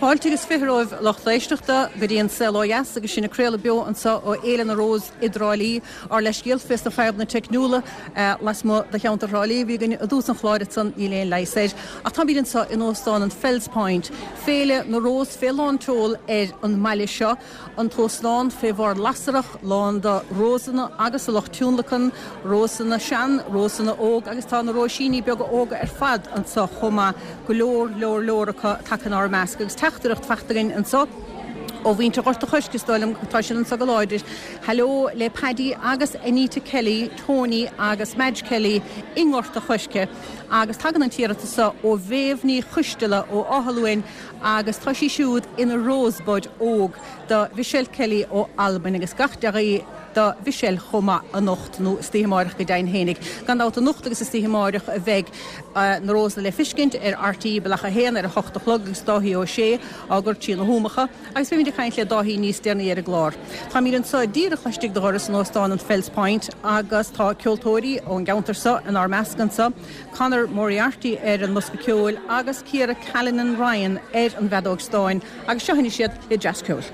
Fáilte agus 20 romhaibh a lucht éisteachta go dtí an Saol Ó Dheas agus sinn ag craoladh beo anseo ó Fhéile na Rós i dTrá Lí. Ár leithscéal fés na fadhbanna teicniúla lasmuigh de cheantar Thrá Lí a bhí againn i dtús an chláir ansan, níl aon leigheas air. Ach táimid anseo in Óstán an Fells Point, Féile na Rós fé lán tseol ar an mbaile seo. An t-óstán fé bharr lasrach, lán de rósanna agus a lucht tionlacan, rósanna sean, rósanna óg agus tá na róisíní beaga óga ar fad anso chomh maith, go leor, leor, leor acu tagtha inár measc agus teachtaireacht fachta againn anso ó mhuintir Ghort a' Choirce, is dóigh liom, tá siad anso go láidir. Hello le Paddy agus Anita Kelly, Tony agus Madge Kelly i nGort a' Choirce agus tagann an t-iarratas so ó Mhéabh Ní Choisteala ó Áth Luain, agus tá sí siúd ina Rosebud óg do Mhichelle Kelly ó Albain agus gach dea-ghuí do Mhichelle chomh maith anocht, nó istoíche amáireach go deimhin fhéinig. Gan dabht anocht agus istoíche amáireach a bheidh na rósanna le fiscint ar RTÉ Bealach 1 ar a hocht a chlog agus Dáithí Ó Sé á gcur trí na hÚmacha agus beimid ag caint le Dáithí níos deireanaí ar an gclár. Táimid anseo díreach laistigh de dhoras an Óstáin an Fells Point agus tá ceoltóirí ón gceantar seo inár measc anseo. Conor Moriarty ar an mbosca ceoil agus Ciara Callinan Ryan ar an bhfeadóg stáin agus seo anois iad le dreas ceoil.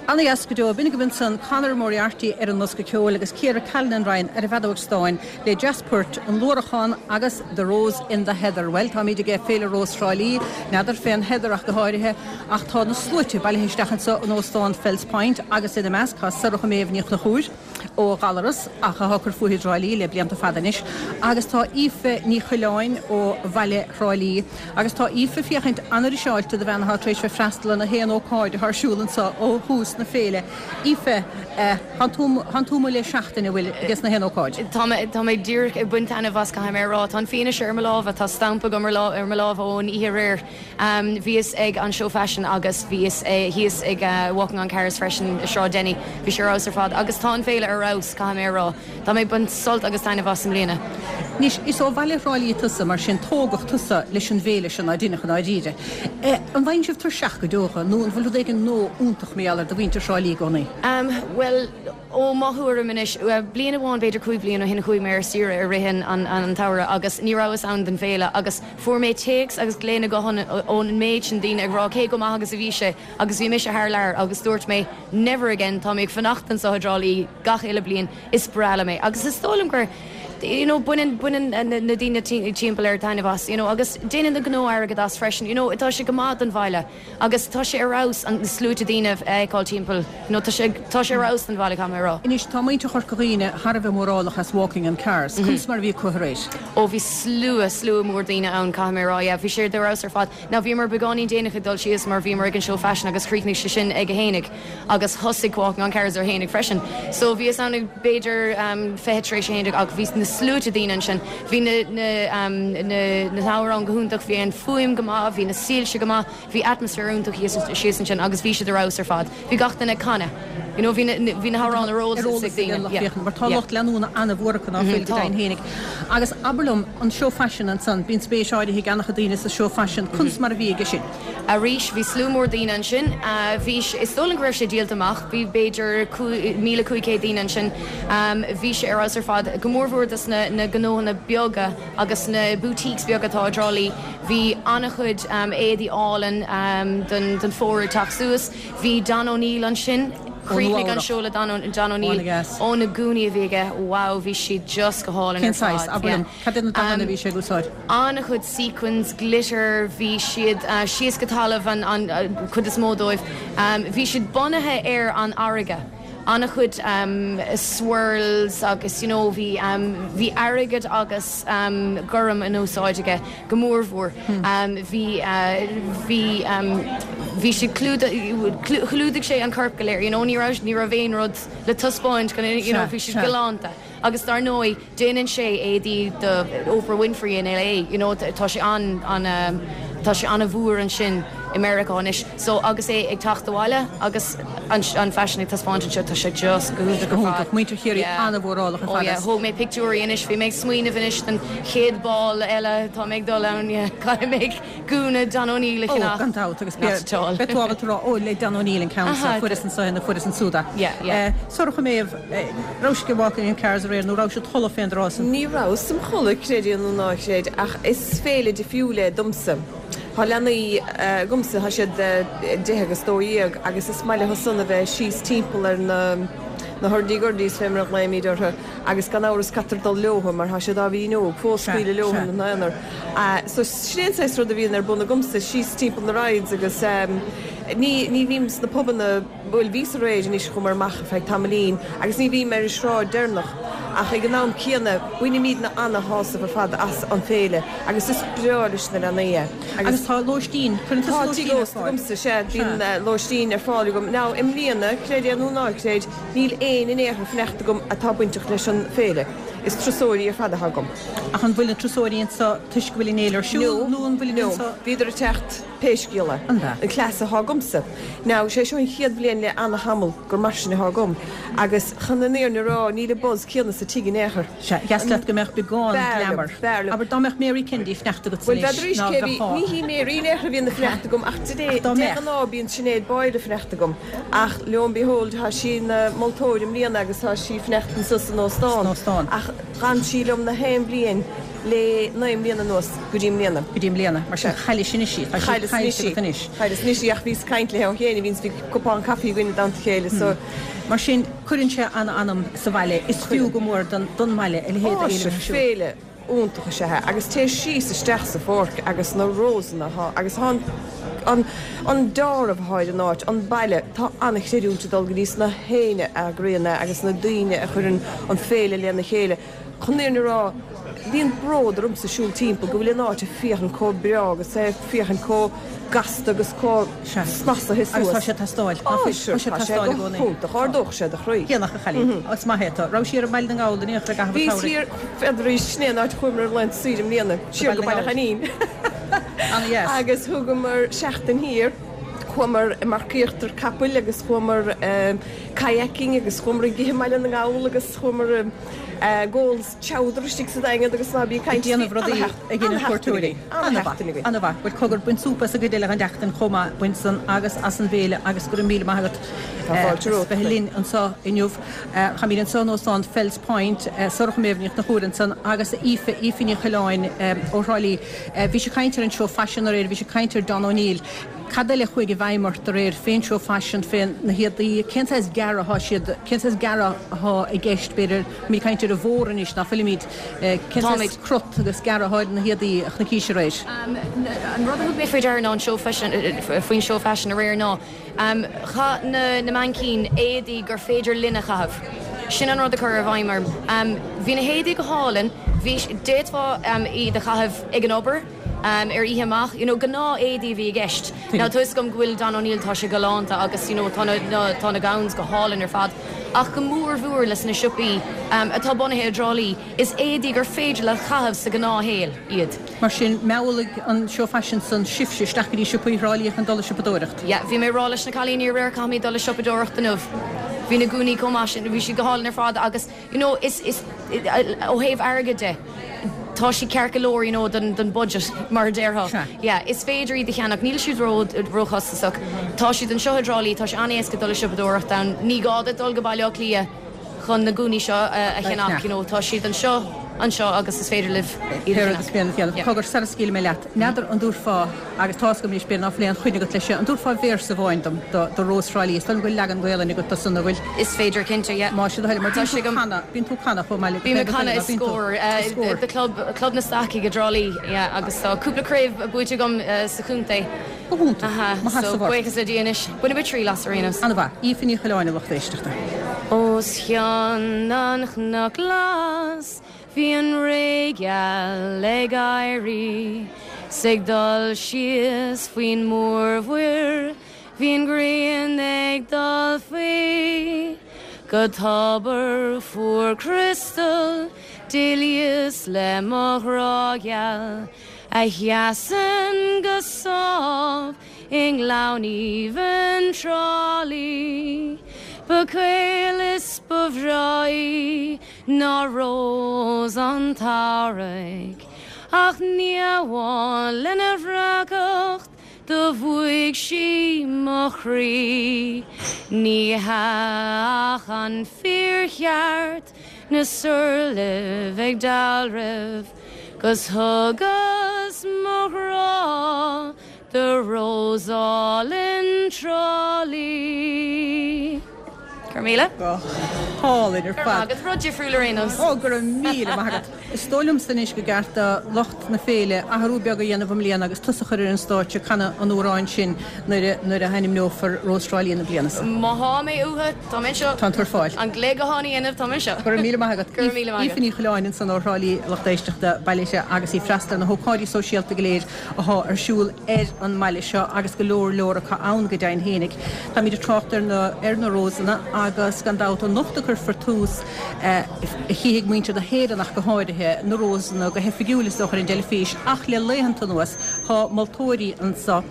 Ana-dheas go deo. B'in agaibh ansan Conor Moriarty ar an mbosca ceoil agus Ciara Callinan Ryan ar an bhfeadóg stáin le dreas poirt, An Luarachán agus The Rose in the Heather. Bhuel, táimid ag Féile Rós Thrá Lí, n'fheadar fén heather ach go háirithe, ach tá na sluaite bailithe isteach anseo in Óstán Fells Point agus ina measc tá Sorcha Méabh Ní Chonchúir ó Ghallaras ach atá ag cur fúithi i dTrá Lí le blianta fada anois agus tá Aoife Ní Choileáin ó bhaile Thrá Lí agus tá Aoife féachaint an-fhriseáilte do bhean atá tar éis bheith freastal ar na haon ócáid atá ar siúl anseo ó thús na féile. Aoife, Tánn tú amuigh le seachtain, an bhfuil, ages na haon ócáid? Tá mé, tá mé díreach ag baint taitneamh as, caithfidh mé a rá. Tá an fianaise ar mo lámha, tá stampa agam ar ar mo lámh ón oíche aréir. Bhíos ag an seó faisin agus bhíos thíos ag Walking on Cars freisin i Sráid Denny. Bhí sé ar fheabhas ar fad agus tá an féile ar fheabhas, caithfidh mé a rá. Tá mé ag baint sult agus taitneamh as i mbliana. Anois, is ó bhaile Thrá Lí tusa, mar sin tógadh tusa leis an bhféile seo, ná deineadh i ndáiríre. An bhfaigheann sibh tuirseach go deo dhe, nó an bhfuil rud éigin nua iontach mar gheall air do mhuintir Thrá Lí i gcónaí? Bhuel, ó mo thuairim anois, bliain amháin, b'fhéidir 5 bliain ó shin, chuaigh mé ar saoire i rith an tsamhraidh agus ní rabhas ann don bhféile agus fuair mé téacs agus glaonna gutháin ón méid sin daoine ag rá cé chomh maith agus a bhí sé agus bhí mise thar lear agus dúirt mé never again, tá mé ag fanacht anseo i dTrá Lí gach uile bliain. Is breá liom é agus is dóigh liom gur you know baineann baineann na daoine timpeall air taitneamh as you know agus déanann na gnó airgead as freisin you know tá sé go maith don bhaile agus tá sé ar fheabhas an sluaite daoine a fheiceáil timpeall you know tá sé tá sé ar fheabhas don bhaile caithfidh mé a rá. Anois tá muintir Chorca Dhuibhne thar a bheith mórálach as Walking on Cars. Conas mar a bhí acu aréir? Ó bhí slua slua mór daoine ann caithfidh mé a rá yeah bhí sé ar fheabhas ar fad. Now bhíomar beagáinín déanach ag dul síos mar bhíomar ag an seó faisin agus chríochnaigh sé sin ag a haon déag agus thosaigh Walking on Cars ar a haon déag freisin. So bhíos ann ag b'fhéidir 11:20 ach bhí na sluaite daoine ansin. Bhí na na na na hamhráin go hiontach, bhí an fuaim go maith, bhí na soilse go maith, bhí atmaisféar iontach thíos síos ansin agus bhí siad ar fheabhas ar fad. Bhí gach duine ag canadh. You know bhí na bhí na hamhráin ar eolas ag daoine. Yeah. Mar tá lucht leanúna an-mhór acu ná fuil go deimhin fhéinig. Agus abair liom, an seó faisin ansan, bíonn spéis áirithe ag an-chuid daoine sa seó faisin, conas mar a bhí aige sin? Arís, bhí slua mór daoine ansin. Bhí, is dóigh liom go raibh sé díolta amach. Bhí b'fhéidir 1,500 daoine ansin. Bhí sé ar fheabhas ar fad, go mórmhór dos na na gnóthanna beaga agus na boutiques beaga atá i dTrá Lí. Bhí an-chuid éadaí álainn don don fómhar ag teacht suas. Bhí Don O'Neill ansin. Chríochnaigh an seó le Don O'Neill. Ó na gúnaí a bhí aige, wow, bhí siad just go hálainn ar fad. Cén saghas? Abair liom, cad é na dathanna a bhí sé ag úsáid? An-chuid sequins, glitter, bhí siad síos go talamh an chuid is mó dóibh. Bhí siad bunaithe ar an fharraige. An-chuid swirls agus you know bhí bhí airgead agus gorm in úsáid aige go mórmhór. Bhí bhí bhí siad chlúdaigh sé an corp go léir you know ní raibh ní raibh aon rud le taispeáint you know bhí siad galánta. Agus dar ndóigh déanann sé éadaí do Oprah Winfrey in LA, you know, tá sé an, an, tá sé an-mhór ansin i Meiriceá anois. So agus é ag teacht abhaile agus an, an faisean ag taispeáint anseo, tá sé just go hiontach ar fad. Muintir Chiarraí an-mhórálach ar fad. Oh yeah, thóg mé pictiúirí anois, bhí mé ag smaoineamh anois don chéad ball eile atá mé ag dul ann, yeah, caithfidh mé gúna Don O'Neill a cheannach. Oh, gan dabht, agus beidh tú ábalta rá, oh, le Don O'Neill an ceann seo, fuaireas anso é nó fuaireas ansúd é. Yeah, yeah. Sorcha Méabh, raibh sibh ag Walking in Cars aréir nó raibh sibh id chodladh fén dtráth san? Ní rabhas im chodladh, creid é nó ná creid, ach is féile difriúil é domsa. Tá leanaí agamsa, tá siad 10 agus 12, agus is maith leo san a bheith síos timpeall ar na na hurdy gurdies fé mar a ghlaoimid orthu, agus gan amhras caitear dul leothu mar tá siad ábhairín óg fós, scaoileadh leo ina n-aonar. So sin é an saghas rud a bhíonn ar bun agamsa, síos timpeall na rides agus ní ní bhím sna pubanna, bhuel bhíos aréir anois, chuamar amach ar feadh tamaillín agus ní bhím ar an sráid deireanach ach ag an am céanna bainimidne ana-shásamh ar fad as an féile agus is breá leis na leanaí é. Agus tá lóistín, cuireann tusa lóistín ar fáil? Tá tigh ósta agamsa, sea, bíonn lóistín ar fáil agam. Now i mbliana, creid é nó ná creid, Níl éinne in aon chor fanacht agam atá bainteach leis an féile. Is turasóirí ar fad atá agam. Ach an bhfuil na turasóirí anseo toisc go bhfuil an fhéile ar siúl nó an bhfuilid anseo? No, bhíodar ag teacht pé scéal é. An ea? An cleas atá agamsa. Now, sé seo an chéad bhliain le ana-thamall gur mar sin atá agam. Agus chun an fhírinne a rá, níl an buzz céanna sa tigh in aon chor. Sea, dheas leat go mbeadh beagán glamour. B'fhearr liom. Abair, dá mbeadh Mary Kennedy ag fanacht agat Bhuel, anois, b'fheadar ná cé bhí, ní hí Mary in aon chor a bhíonn ag fanacht agam ach de Ach dá de mbeadh. ghnáth bíonn Sinéad Boyle ag fanacht agam. Ach lo and behold, tá sí ina moltóir i mbliana agus tá sí ag fanacht anso san óstán. San óstán. Ach d'fhan sí liom na haon bhliain le 9 mbliana anuas go dtí i mbliana. Go dtí i mbliana. Mar sin, chaillis anois í. Tá sí Chailleas anois caillte í. agat anois. Chailleas anois í ach bhíos ag caint léi ó shin, bhíos, bhí cupán caife againn i dteannta a chéile so. Mar sin, cuireann sé an-anam sa bhaile. Is fiú go mór don mbaile a leithéid Á, d'fhéile sea, a bheith ar siúl. féile iontach is ea é. Agus téir síos isteach sa pháirc agus na rósanna atá, agus tá an, an, an deáramh atá ar an áit, an baile, tá an-chreidiúint ag dul go dtí sna héinne a eagraíonn é agus na daoine a chuireann an féile lena chéile. Chun an fhírinne a rá, bíonn bród ormsa siúl timpeall go bhfuil an áit ag féachaint chomh breá agus é ag féachaint chomh gasta agus chomh snasaithe suas. Agus tá sé ag teastáil. Tá sé, tá sé go hiontach. Ardódh sé do chroí. Déanach, a chailín. Is maith é tú. Raibh siar i mBaile na nGall in aon chor i gcaitheamh an tsamhraidh? Bhíos thiar, n'fheadar arís, sin é an áit a chuamar ar laethanta saoire i mbliana, siar go Baile Choinín. Ana-dheas. Agus thugamar seachtain thiar. Chuamar ag marcaíocht ar capaill agus chuamar kayaking agus chuamar ag ithe i mBaile na nGall agus chuamar ag ól chowder istigh sa Daingean agus ná bí ag caint. Ag déanamh rudaí a dhéanann cuairteoirí. Ana-sheachtain againn. Ana-mhaith. Bhuel, cogar, bain súp as an gcuid eile den tseachtain chomh maith, bain san agus as an bhféile agus go raibh míle maith agat Tá fáilte as romhat. bheith linn anseo inniu. Táimid anseo in Óstán Fells Point, Sorcha Méabh Ní Chonchúir ansan agus Aoife, Aoife Ní Choileáin ó Thrá Lí. Bhí sibh ag caint ar an seó faisin aréir, bhí sibh ag caint ar Don O'Neill. Cad eile a chuaigh i bhfeidhm ort aréir fén seó faisin, fé na héadaí, cén saghas gearradh atá siad, cén saghas gearradh atá i gceist, b'fhéidir, táimid ag caint ar an bhfómhar anois, ná fuilimid, cén saghas crot agus gearradh atá ar na héadaí a chonaicís aréir? An rud a thug mé faoi deara ná an seó faisin, faoin seó faisin aréir ná, chaith na na mainicíní éadaí gur féidir linn a chaitheamh. Sin an rud a chuir i bhfeidhm orm. Bhí na héadaí go hálainn, bhí, d'fhéadfá iad a chaitheamh ag an obair, ar oíche amach, you know, gnáth éadaí a bhí i gceist. Now tá 'fhios agam go bhfuil Don O'Neill, tá sé galánta agus you know tá na, na, tá na gowns go hálainn ar fad ach go mór mhór leis na siopaí atá bunaithe i dTrá Lí, is éadaí gur féidir leat chaitheamh sa ghnáthshaol iad. Mar sin, meallfaidh an seó faisin san sibhse isteach go dtí siopaí Thrá Lí chun dul ag siopadóireacht. Yeah, bhí mé ag rá leis na cailíní aréir caithfimid dul ag siopadóireacht inniu. Bhí na gúnaí chomh maith sin, bhí siad go hálainn ar fad agus You know, is, is, ó thaobh airgid de, tá siad ceart go leor, you know, don, don budget, mar a déarfá. Sea. Yeah, is féidir iad a cheannach, níl siad ró, róchostasach. Tá siad anseo i dTrá Lí, tá sé an-éasca dul ag siopadóireacht ann. Ní gá duit dul go Baile Átha Cliath chun na gúnaí seo a, a cheannach, you know, tá siad anseo. anseo agus is féidir libh iad a cheannach. Cogar, sara scaoilfidh mé leat, n'fheadar an dtabharfá, agus tá's agam anois b'fhéidir ná fuil aon choinne agat leis seo, an dtabharfá véarsa amháin dom do Rós Thrá Lí? Is dóigh liom go bhfuil leagan Gaolainne agat do san, an bhfuil? Is féidir, cinnte, yeah. Más é do thoil, mar bíonn tú ag canadh, bíonn tú ag canadh chomh maith le, Bím ag canadh i Scór, do club, Club na Stacaigh i dTrá Lí, yeah, agus tá cúpla craobh buaite agam sa chontae. Go hiontach. Mo sheasamh ort. So, buíochas le Dia anois. Bainfidh mé triail as ar aon nós. An-mhaith. Aoife Ní Choileáin, a lucht éisteachta. Os cionn an chnoc glas bhí an ré gheal ag éirí 's ag dul síos faoin mórmhuir bhí an ghrian ag dul faoi go tobar fuar criostail d'éalaíos le mo ghrá gheal A sheasann go sámh i ngleann aoibhinn Trá Lí. Ba caol is ba bhreá í ná rós an tsamhraidh, Ach ní amháin lena breacacht do bhuaigh sí mo chroí. Ní hea ach an fíorcheart na surlaibh ag dealramh. 'Gus thugas mo ghrá do Rós álainn Trá Lí. Go raibh míle. Go hálainn ar fad. Go raibh maith agat. Rud difriúil ar aon nós. Ó, go raibh míle maith agat. Is dóigh liomsa anois gur ceart do lucht na féile athrú beag a dhéanamh i mbliana agus tusa a chur ar an stáitse ag canadh an amhráin sin nuair a nuair a hainmneofar Rós Thrá Lí na bliana seo. Má thá mé uathu, tá mé anseo. Tá tú ar fáil. An glao gutháin a dhéanamh, tá mé anseo. Go raibh míle maith agat. Go raibh míle maith agat. Aoife Ní Choileáin ansan ó Thrá Lí, a lucht éisteachta, bailithe agus í ag freastal ar na hócáidí sóisialta go léir athá ar siúl ar an mbaile seo agus go leor leor acu ann go deimhin fhéinig. Táimid ag trácht ar na ar na Rósanna agus gan dabht anocht a cuirfear tús, a chífidh muintir na hÉireann ach go háirithe, na Rósanna go hoifigiúil is dócha ar an dteilifís ach le laethanta anuas thá moltóirí anso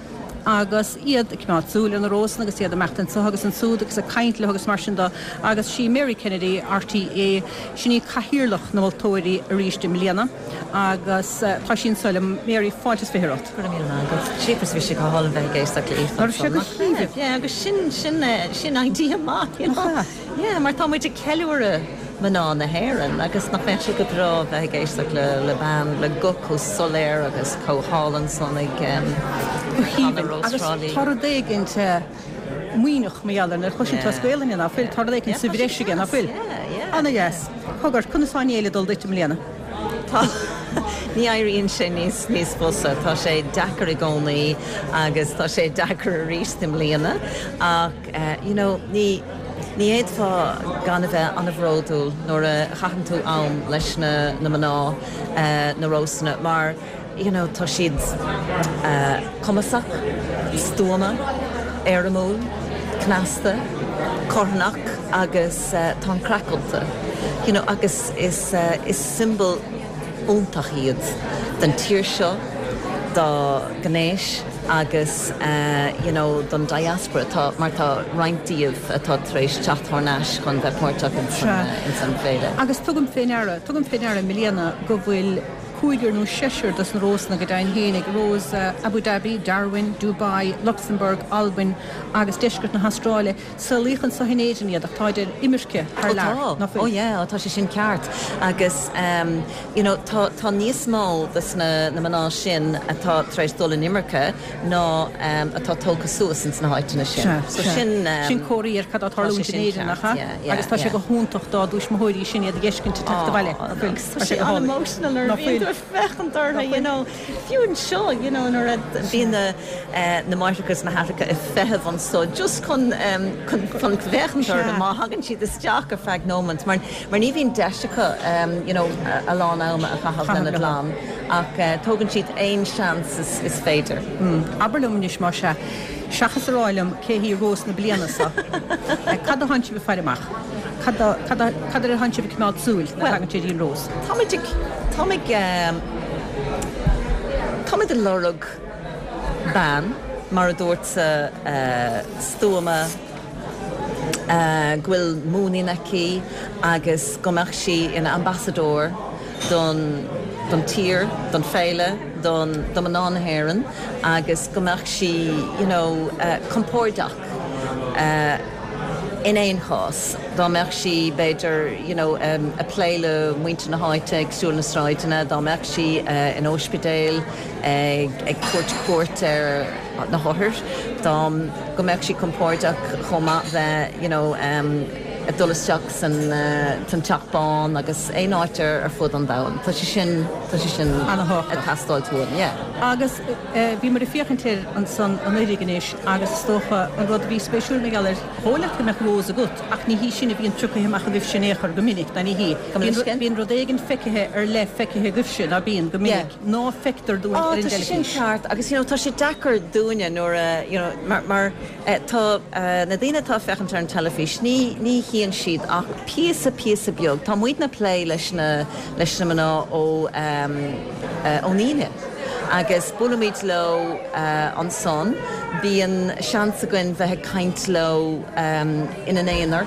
agus iad ag coimeád súil ar na Rósanna agus iad ag imeacht anso agus ansúd agus ag caint leo agus mar sin de agus sí Mary Kennedy, RTÉ, sin í cathaoirleach na moltóirí arís i mbliana agus tá sí anso liom. Mary, fáilte is 20 romhat. Go raibh míle maith agat. Jeepers bhí sé go hálainn bheith ag éisteacht le Aoife Nach raibh sé go haoibhinn? Yeah, agus sin, sin, sin idea maith, you know. Yeah, mar tá muid ag ceiliúradh mná na hÉireann agus nach mbeadh sé go breá bheith ag éisteacht le le bean le guth chomh soiléir agus chomh hálainn san ag Go haoibhinn. Agus tá rud éigint maoithneach mar gheall air nuair a chloiseann tú as Gaelainn é, ná fuil? Tá rud éigint sa bhreis aige, ná fuil? Ana-dheas. Cogar, conas tá an fhéile ag dul duit i mbliana? Tá. Ní éiríonn sé níos níos fusa. Tá sé deacair i gcónaí agus tá sé deacair arís i mbliana ach you know ní ní fhéadfá gan a bheith an-bhródúil nuair a chaitheann tú am leis na na mná na Rósanna mar you know tá siad cumasach, stuama, éirimiúil, cneasta, carthanach agus tá an craic iontu you know agus is is siombail iontach iad den tír seo, dá gnéas agus you know don diaspora tá mar tá roinnt díobh atá tar éis teacht thar n-ais chun bheith páirteach ins an bhféile. Agus tugaim fé ndeara, tugaim fé ndeara i mbliana go bhfuil cúigear nó seisear dos na Rósanna go deimhin fhéinig, Rós Abu Dhabi, Darwin, Dubai, Luxembourg, Albain agus deisceart na hAstráile. Saolaíodh anso in Éirinn iad ach táid ar imirce thar lear, Ó tá, ná fuil? ó yeah, tá sé sin ceart agus you know tá tá níos mó de sna na mná sin atá tar éis dul in imirce ná atá tógtha suas ins na háiteanna sin. Sea, So sea. sin Sin comhartha ar cad atá tá sé tarlúint in sin Éirinn, nach ceart, ea? yeah, yeah, Agus tá sé yeah. go hiontach dá dtuismitheoirí sin iad a dh'fheiscint ag teacht abhaile, Ó, ná fuil? agus tá Tá sé sé go hálainn. an-emotional nuair a Ná bhíonn fuil? tú ag féachaint orthu, Ná you fuil? know. Fiú anseo, you know, nuair a bhíonn na na máithreacha is na haithreacha ag feitheamh anso just chun chun chun féachaint orthu má thagann siad isteach ar feadh nóimint mar mar ní bhíonn deis acu you know a lán ama a chaitheamh lena gclann ach tógann siad aon seans is is féidir. Abair liom anois más ea, seachas a rá liom cé hí Rós na bliana seo, cad a thánn sibh ag faire amach? Cad cad cad air a thánn sibh ag coimeád súil nuair a thagann sé dtí'n Rós? Táimid ag táimid táimid ag lorg bean, mar a dúrtsa, stuama, go bhfuil muinín aici agus go mbeadh sí ina ambasadóir don don tír, don féile, don do mná na hÉireann agus go mbeadh sí you know compordach. In aon chás, dá mbeadh sí, b'fhéidir, you know, ag plé le muintir na háite, ag siúl na sráideanna, dá mbeadh sí in óispidéal ag tabhairt cuairt ar na hothair, dá, go mbeadh sí compordach chomh maith bheith, you know, ag dul isteach san, san Teach Bán agus aon áit ar fud an domhain. Tá sé sin, tá sé sin ag teastáilt uaim, yeah. Agus bhíomar ag féachaint air ansan anuiridh anois agus is dócha an rud a bhí spéisiúil mar gheall air, Dhóigh leat go mbeadh Rose agat, ach ní hí sin a bhíonn pioctha amach agaibhse in aon chor go minic, ná ní hí. Bíonn rud éigin feicthe ar leith feicthe agaibhse, ná bíonn, go minic, ná feictear dúinn ar an teilifís. Tá sé sin ceart agus you know tá sé deacair dúinne nuair a, you know, mar, mar tá na daoine atá ag féachaint ar an teilifís, ní, ní chíonn siad ach píosa, píosa beag. Tá muidne ag plé leis na, leis na mná ó, ón Aoine. Agus buailimid leo ansan. Bíonn seans againn bheith ag caint leo ina n-aonar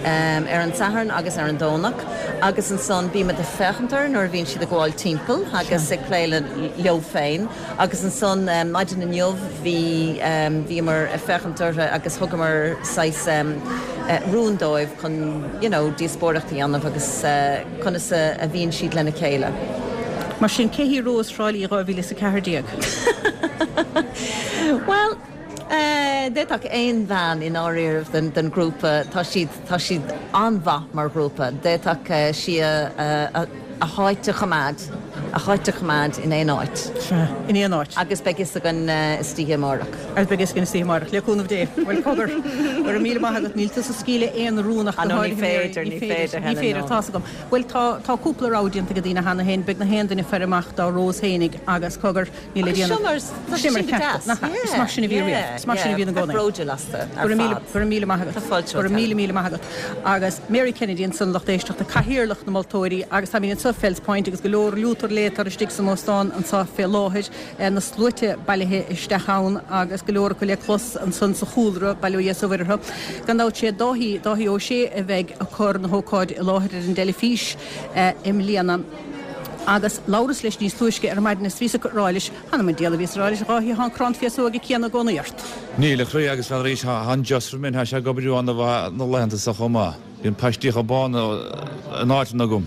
ar an Satharn agus ar an Domhnach agus ansan bímid ag féachaint orthu nuair a bhíonn siad ag gabháil timpeall agus ag plé leo féin agus ansan maidin inniu bhí bhíomar ag féachaint orthu agus thugamar saghas rún dóibh chun you know díospóireacht a dhéanamh agus conas a bhíonn siad lena chéile. Mar sin, cé hí Rós Thrá Lí 2014? Bhuel, d'fhéadfadh aon bhean i ndáiríribh den ghrúpa, tá siad, tá siad an-mhaith mar ghrúpa, d'fhéadfadh sí a háit a choimeád, a háit a choimeád in aon áit. Sea, in aon áit. Agus beidh fhios againn istoíche amárach. Agus beidh fhios againn istoíche amárach, le cúnamh Dé. Bhuel, cogar, go raibh míle maith agat. Níl tusa ag scaoileadh aon rún ach go háirithe Mary. Ní féidir, ní féidir, tá's agam. Bhuel, tá, tá cúpla rogha déanta ag daoine cheana féin. Beidh na haon duine ag faire amach dá Rós fhéinig agus cogar, níl le déanamh. Sin mar, tá sé sin go deas. Nach ea? Is mar sin a bhí riamh. Is mar sin a bhíonn i gcónaí. Bródúil astu ar fad. Go raibh míle maith agat. Tá fáilte Go raibh míle, míle maith agat. Agus Mary Kennedy ansan, lucht éisteachta, cathaoirleach na moltóirí agus táimid anseo Fells Point agus go leor liútar léatar istigh san óstán anseo fé láthair. Na sluaite bailithe isteach ann agus go leor acu le clos ansan sa chúlra, bail ó Dhia is ó Mhuire orthu. Gan dabht sé Dáithí, Dáithí Ó Sé a bheidh ag cur na hócáide i láthair ar an dteilifís i mbliana. Agus labhras leis níos túisce ar maidin is bhíos ag rá leis, Th'anam 'on diabhal a bhíos ag rá leis, a Dháithí, thá an crann féasóige céanna i gcónaí ort. Níl, a chroí, agus bhean arís, thá an Joss roimh, thá sé ag obair ana-mhaith na laethanta so chomh maith. Bíonn paistíocha bána in áiteanna agam.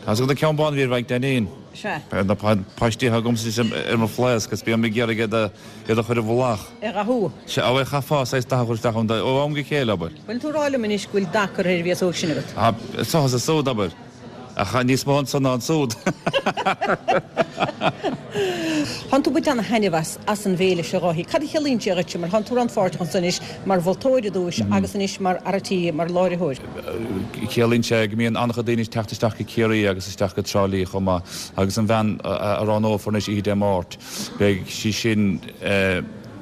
Tá's agat an ceann bán a bhí ar Mhaidhc Dainín? Sea. Na paistíocha agamsa ar mo bhlaosc is bím ag iarraidh iad a iad a chur i bhfolach. A dhathú. Sea, bhuel, chaithfeá saghas dath a chur isteach ann ó am go chéile, abair. Bhfuil tú ag rá liom anois go bhfuil dath curtha ar an bhféasóg sin agat? Tá, so is ansúd, abair. Ach níos mó anso ná ansúd. Thánn tú ag baint ana-thaitneamh as, as an bhféile seo, a Dháithí. Cad a chiallaíonn sé dhuitse, mar thánn tú rannpháirteach anso anois mar mholtóir i dtúis agus anois mar fhear a' tí, mar láithreoir. Ciallaíonn sé go mbíonn an-chuid daoine ag teacht isteach go Ciarraí agus isteach go Trá Lí chomh maith agus an bhean a roghnófar anois oíche Dé Máirt, beidh sí sin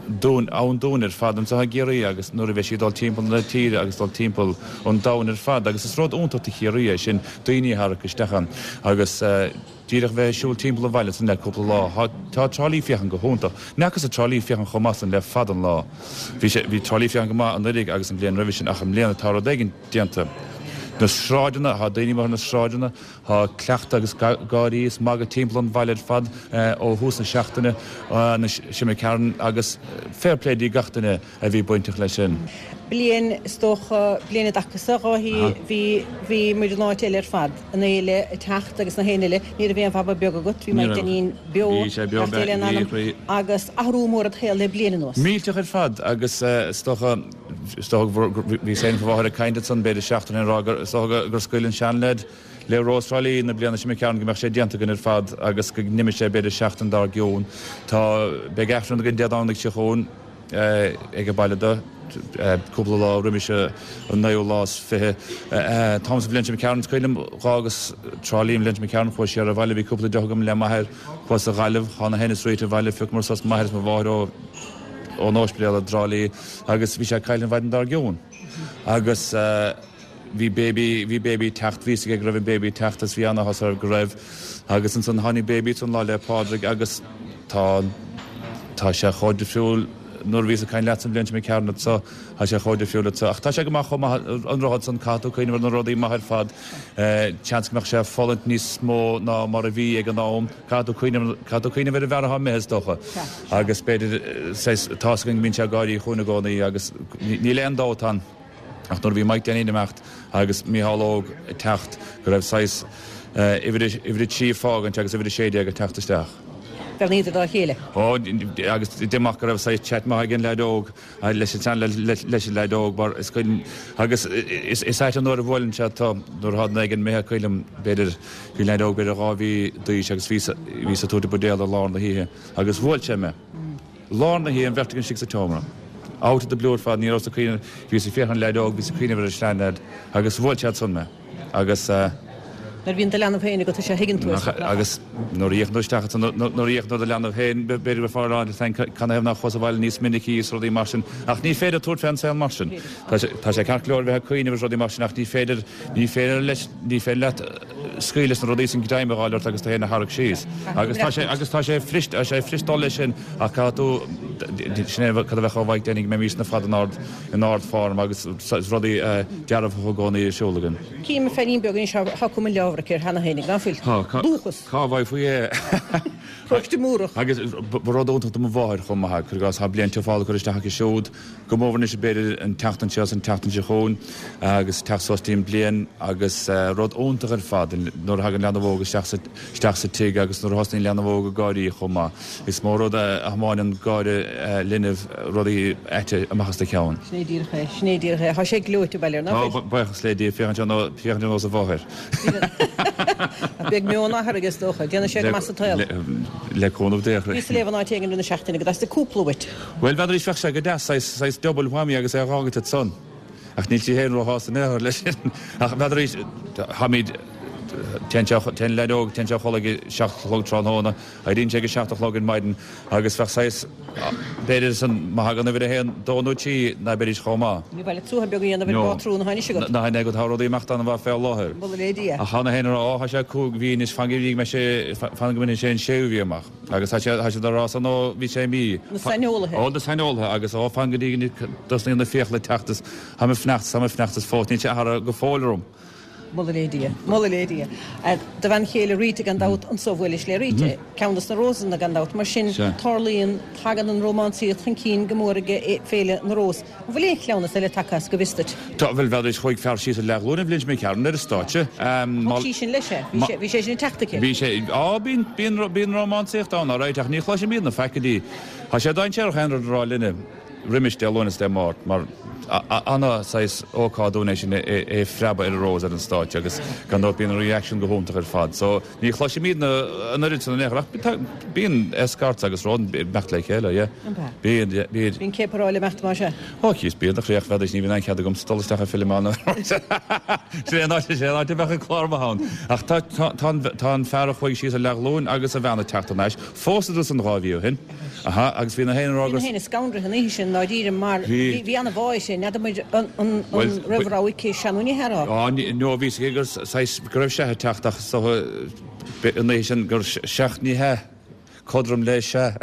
dúinn, ann dúinn ar fad anseo i gCiarraí agus nuair a bheidh sí ag dul timpeall na tíre agus dul timpeall an domhain ar fad agus is rud iontach do Chiarraí é sin, daoine a tharrac isteach ann agus díreach bheith ag siúl timpeall an bhaile san le cúpla lá. Tá Trá Lí féachaint go hiontach. Ní fhacthas Trá Lí féachaint chomh maith san le fada an lá. Bhí sé, bhí Trá Lí féachaint go maith anuiridh agus an bhliain roimhe sin ach i mbliana tá rud éigin déanta. Na sráideanna, tá daoine amuigh ar na sráideanna, Tá cleachtadh agus gáirí is magadh timpeall an bhaile ar fad ó thús na seachtaine seo imigh tharainn agus fair play do gach duine a bhí bainteach leis sin. Bliain, is dócha, bliain i dtaca sa, Dháithí, bhí, bhí muid in áit eile ar fad, an fhéile ag teacht agus na haon uile, ní raibh aon bhaba beag agat, bhí Maidhc Dainín beo, beathú Dé lena anam, agus athrú mór id shaol le bliain anuas. Millteach ar fad agus is dócha, Is dócha gur, bhíos féin is mo mháthair ag caint ansan b'fhéidir seachtain ó shin ag rá gur, is dócha gur scaoil an seanleaid le Rós Thrá Lí na bliana seo imigh tharainn go mbeadh sé déanta againn ar fad agus go n-imeodh sé b'fhéidir seachtain dár gcionn. Tá, beidh Aifreann againn Dé Domhnaigh seo chugainn ag an baile do, cúpla lá roimis an naoú lá is 20. Táim sa bhliain seo imigh tharainn, is cuimhin liom dh'fhágas Trá Lí an bhliain seo imigh tharainn, chuas siar abhaile, bhí cúpla deoch agam le m'athair, chuas a Ghaillimh, thá na thinneas rite abhaile, phiocamar suas m'athair is mo mháthair ó, ón óispidéal i dTrá Lí agus bhí sé ag cailleadh an mhaidin dár gcionn agus bhí baby, bhí baby ag teacht, bhí fhios aige go raibh an baby ag teacht agus bhí an-áthas air go raibh agus ansan tháinig baby ansan Lá 'le Pádraig agus tá, tá sé chomh difriúil nuair a bhíos ag caint leatsa an bhliain seo imigh tharainn anso, tá sé chomh difriúil anso ach tá sé go maith chomh maith an rud san, caithfidh tú cuimhneamh ar na rudaí maithe ar fad, seans go mbeadh sé ag fulaingt níos mó ná mar a bhí ag an am. Caithfidh tú cuimhneamh, caithfidh tú cuimhneamh ar an bhfear atá imithe, is dócha. Agus b'fhéidir, saghas, tá's againn go mbíonn sé ag gáirí chugainn i gcónaí agus níl aon dabht ann. Ach nuair a bhí Mike Danny ag imeacht agus Micheál Óg ag teacht go raibh saghas uimhir a 3 ag fágaint agus uimhir a 16 ag teacht isteach. Bhreathnaíodar dá chéile. Ó, agus d'imigh go raibh saghas chat maith ag an leaid óg leis an sean leis an leaid óg mar is cuimhin agus is ait an uair a bhuaileann sé tú nuair atá duine éigin imithe cuimhin liom b'fhéidir bhí leaid óg b'fhéidir 2 mhí d'aois agus bhíos bhíos ag tabhairt an buidéal i lár na hoíche agus bhuail sé mé. Lár na hoíche, an bheirt againn istigh sa tseomra. Out of the blue ar fad, ní rabhas ag cuimhneamh, bhíos ag féachaint ar an leaid óg, bhíos ag cuimhneamh ar an seanleaid agus bhuail sé ansan mé. Agus eh. Nuair a bhíonn do leanbh féin agat, is ea thuigeann tú é. Agus nuair a fhéachann tú isteach ansan, nuair a fhéachann tú ar do leanbh féin, b'fhéidir go mbeifeá ag rá leat féin canathaobh nár chuas abhaile níos minicí is rudaí mar sin. Ach ní féidir tabhairt fén saol mar sin. Tá sé ceart go leor a bheith ag cuimhneamh is rudaí mar sin ach ní féidir, ní féidir leis, ní féidir leat, scaoileadh leis na rudaí sin greim a fháil ort agus tú féin a tharrac síos. Agus tá sé, agus tá sé fuirist, tá sé fuirist dul leis sin ach caithfidh tú, sin é cad a bheadh ó Mhaidhc Danny go mbeimis ar fad in ard, in ardform agus rudaí dearfacha i gcónaí ar siúl againn. Cím feairín beag anois, tá cuma leabhar aici air cheana féin, ná fuil? Tá. Dúchas. Cá bhfaighfí é? Paróiste Múrach. Agus ba rud iontach do mo mháthair chomh maith, cuir i gcás, tá bliain tiufála curtha isteach aici siúd, Go mór anois b'fhéidir an tseachtain seo is an tseachtain seo chugainn agus teacht suas dtí an bliain agus rud iontach ar fad nuair a thagann leanbh óg isteach sa isteach sa tigh agus nuair a thosnaíonn leanbh óg ag gáirí chomh maith. Is mó rud a thiomáineann gáire linbh rudaí aite amach as do cheann. Sin é díreach é, sin é díreach é. Tá sé gleoite bail air, ná fuil? Tá, buíochas le Dia, féachann sé féachann sé ar nós a mháthair. Beidh meon athar aige is dócha. Déanfaidh sé go maith sa tsaol. Le cúnamh Dé. Bhíos ag léamh in áit éigin i rith na seachtaine go dteastaigh cúpla uait. Bhuel, b'fhéidir bheadh sé go deas, saghas, saghas double whammy agus é a dh'fhágaint ansan. Ach níl sí féin róshásta in aon chor leis sin. Ach b'fhéidir, táimid, téann sé, téann leaid óg, téann sé a chodladh ag a seacht a chlog tráthnóna, éiríonn sé ag a seacht a chlog ar maidin agus bheadh saghas, b'fhéidir san, má thagann uimhir a haon, dó nó trí, ná beidís chomh maith. Ní maith leat suaitheadh beag a dhéanamh ar an bpátrún atá anois agat. Ná in agat, tá rudaí ag imeacht an-mhaith fé láthair. Moladh le Dia. Ach tá na héinne ag rá, Ó, tá sé cúig mhí anois, fan go dtí go mbeidh sé, fan go mbeidh sé an séú mhí amach. Agus tá siad, tá siad ag rá san ó bhí sé mí. Na saineolaithe. Ó, na saineolaithe agus ó, fan go dtí go dtosnaíonn na fiacla ag teacht is táim ag fanacht, táim ag fanacht is fós níl sé athraithe go fóill orm. Moladh le Dia. Moladh le Dia. Do bhean chéile Rita gan dabht, anso bhuailis le Rita, ceann dos na Rósanna gan dabht. Mar sin, tarlaíonn, tagann an rómánsaíocht chun cinn go mór ag Féile na Rós. An bhfuil aon chleamhnas eile tagtha as go bhfios duit? Tá, bhuel, bheadh, chuaigh fear síos ar leathghlúin an bhliain seo imigh tharainn ar an stáitse. Thug sí sin leis é. Bhí sé, bhí sé sin ag teacht aici. Bhí sé, á, bíonn, bíonn, bíonn rómánsaíocht ann, alright, ach ní chloisimid na faic go dtí. Tá sé dainséarach aon rud a rá linne roimis Dé Luain is Dé Máirt, mar ana saghas ócáid dúinn é sin é, é phreabadh ar an Rós ar an stáitse agus gan dabht bíonn an reaction go hiontach ar fad. So, Ní chloisimid an oiread san in aon chor ach bíonn escorts agus rud ag imeacht le chéile, yeah. An ea? Bíonn, yeah, bíonn. Bíonn céaparáil ag imeacht más ea? Ó, cíos, bíonn a chroí ach bheadaís, ní bhíonn aon chead agamsa dul isteach ag filleadh ann. Sin é an áit, sin é an áit a bheadh an clár maith ann. Ach tá, tá, tá an, tá an fear a chuaigh síos ar leathghlúin agus a bhean ag teacht thar n-ais, phósadar san 2 mhí ó shin. Aha, agus bhí na héin ag rá gur. Bhí na héin scanraithe an oíche sin, ndáiríre, mar bhí, bhí an-bhá aici, n'fheadar muid an, an, an raibh rogha aici sea nó ní hea rá. Á, no, bhí 'fhios aici gur saghas, go raibh sea ag teacht ach is dócha an oíche sin gur seacht ní hea, codrom le sea.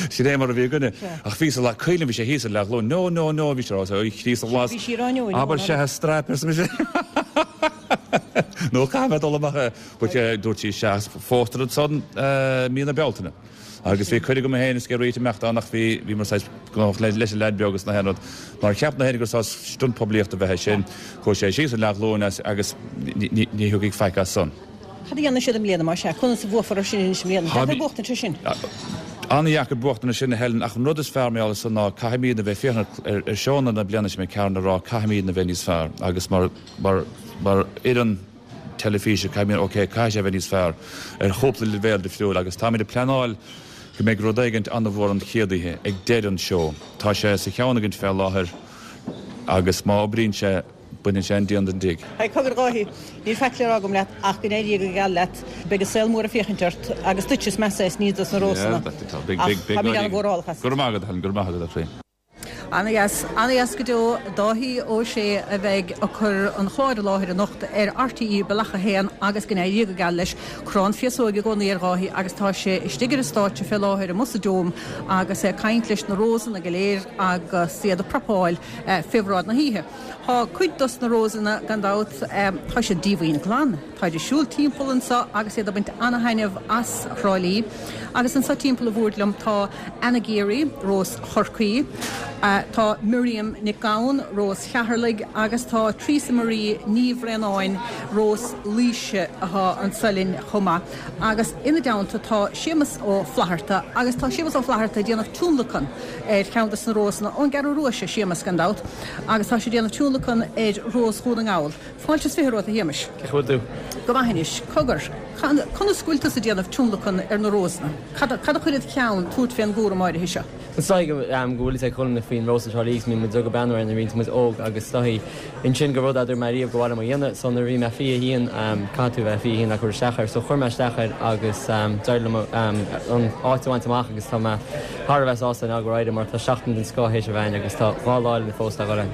Sin é mar a bhí againne. Ach bhí sa lá, cuimhin liom, bhí sé thíos ar leathghlúin, no, no, no, bhí sé ag rá, a Chríost ghlas, Bhí sí ag rá no, no, abair sea a straip, arsa mise. Nó caithfidh mé dul amach, but dúirt sí sea, phósadar ansan mí na Bealtaine. Agus bhí cuireadh agam féin is ag Rita imeacht ann ach bhí, bhíomar saghas gnóthach leis an leaid beag is na haon rud. Mar cheap na héinne gur saghas stunt poiblíochta a bheadh ansin. Chuaigh sé síos ar leathghlúin agus ní thiocfaidh faic as san. Cad a dhéanfaidh siad i mbliana más ea? Conas a bhuafar ar sin anois i mbliana? Deacair buachtaint ar sin. An-dheacair buachtaint ar sin a Helen ach an rud is fearr mar gheall ar san ná caithfimídne a bheith féachaint ar seónna na bliana seo imigh tharainn a rá caithfimídne a bheith níos fearr agus mar, mar, mar fhoireann teilifíse, caithfimid, ok, caithfidh sé a bheith níos fearr ar chúpla leibhéal difriúil agus táimid ag pleanáil go mbeidh rud éigint an-mhór an chéad oíche, ag deireadh an seó. Tá sé sa cheann againn fé láthair agus má oibríonn sé, baineann sé an díon den dtigh. Hey, cogar a Dháithí, níl faic le rá agam leat ach go n-éirí go geal leat. Beidh an saol mór ag féachaint ort agus duit is measa é is ní dos na Rósanna. Ach táimid an-mhórálach as. Go raibh maith agat, Helen, go raibh maith agat, a chroí. Ana-dheas, ana-dheas go deo. Dáithí Ó Sé a bheidh ag cur an chláir i láthair anocht ar RTÉ Bealach 1 agus go n-éirí go geal leis. Crann féasóige i gcónaí ar Dháithí agus tá sé istigh ar an stáitse fé láthair amuigh sa Dome agus é ag caint leis na Rósanna go léir agus iad ag prapáil fé bhráid na hoíche. Tá cuid dos na Rósanna gan dabht, tá siad díomhaoin glan. Táid ag siúl timpeall anseo agus iad ag baint ana-thaitneamh as Thrá Lí. Agus anseo timpeall an bhoird liom tá Anna Geary, Rós Chorcaí. Tá Miriam Nic Gabhann, Rós Cheatharlaigh, agus tá Teresa Marie Ní Bhraonáin, Rós Laoise, atá anso linn chomh maith. Agus ina dteannta tá Séamus Ó Flatharta agus tá Séamus Ó Flatharta ag déanamh tionlacan ar cheann de na rósanna, ón gCeathrú Rua, sé Séamus gan dabht, agus tá sé ag déanamh tionlacan ar Rós Dhún na nGall. Fáilte is 20 romhat a Shéamais. Cén chaoi a bhfuil tú? Go maith anois. Cogar, conas go bhfuil tusa ag déanamh tionlacan ar na rósanna? Cad a chuir id cheann tabhairt fén gcúram áirithe seo? Is dóigh go bhfuil fhios ag chuile dhuine faoin Rós Trá Lí agus mbíonn muid ag breathnú air nuair a bhíonns muid óg agus is dóigh ansin gur rud é a dúirt mé riamh gur mhaith liom a dhéanamh so nuair a bhí mé 21 caithfidh tú a bheith 21 le cur isteach air so chuir mé isteach air agus d'éirigh liom an áit a bhaint amach agus tá mé thar a bheith sásta now go raibh mar tá seachtain den scoth théis a bheith againn agus tá 2 lá eile fós le dhul ann.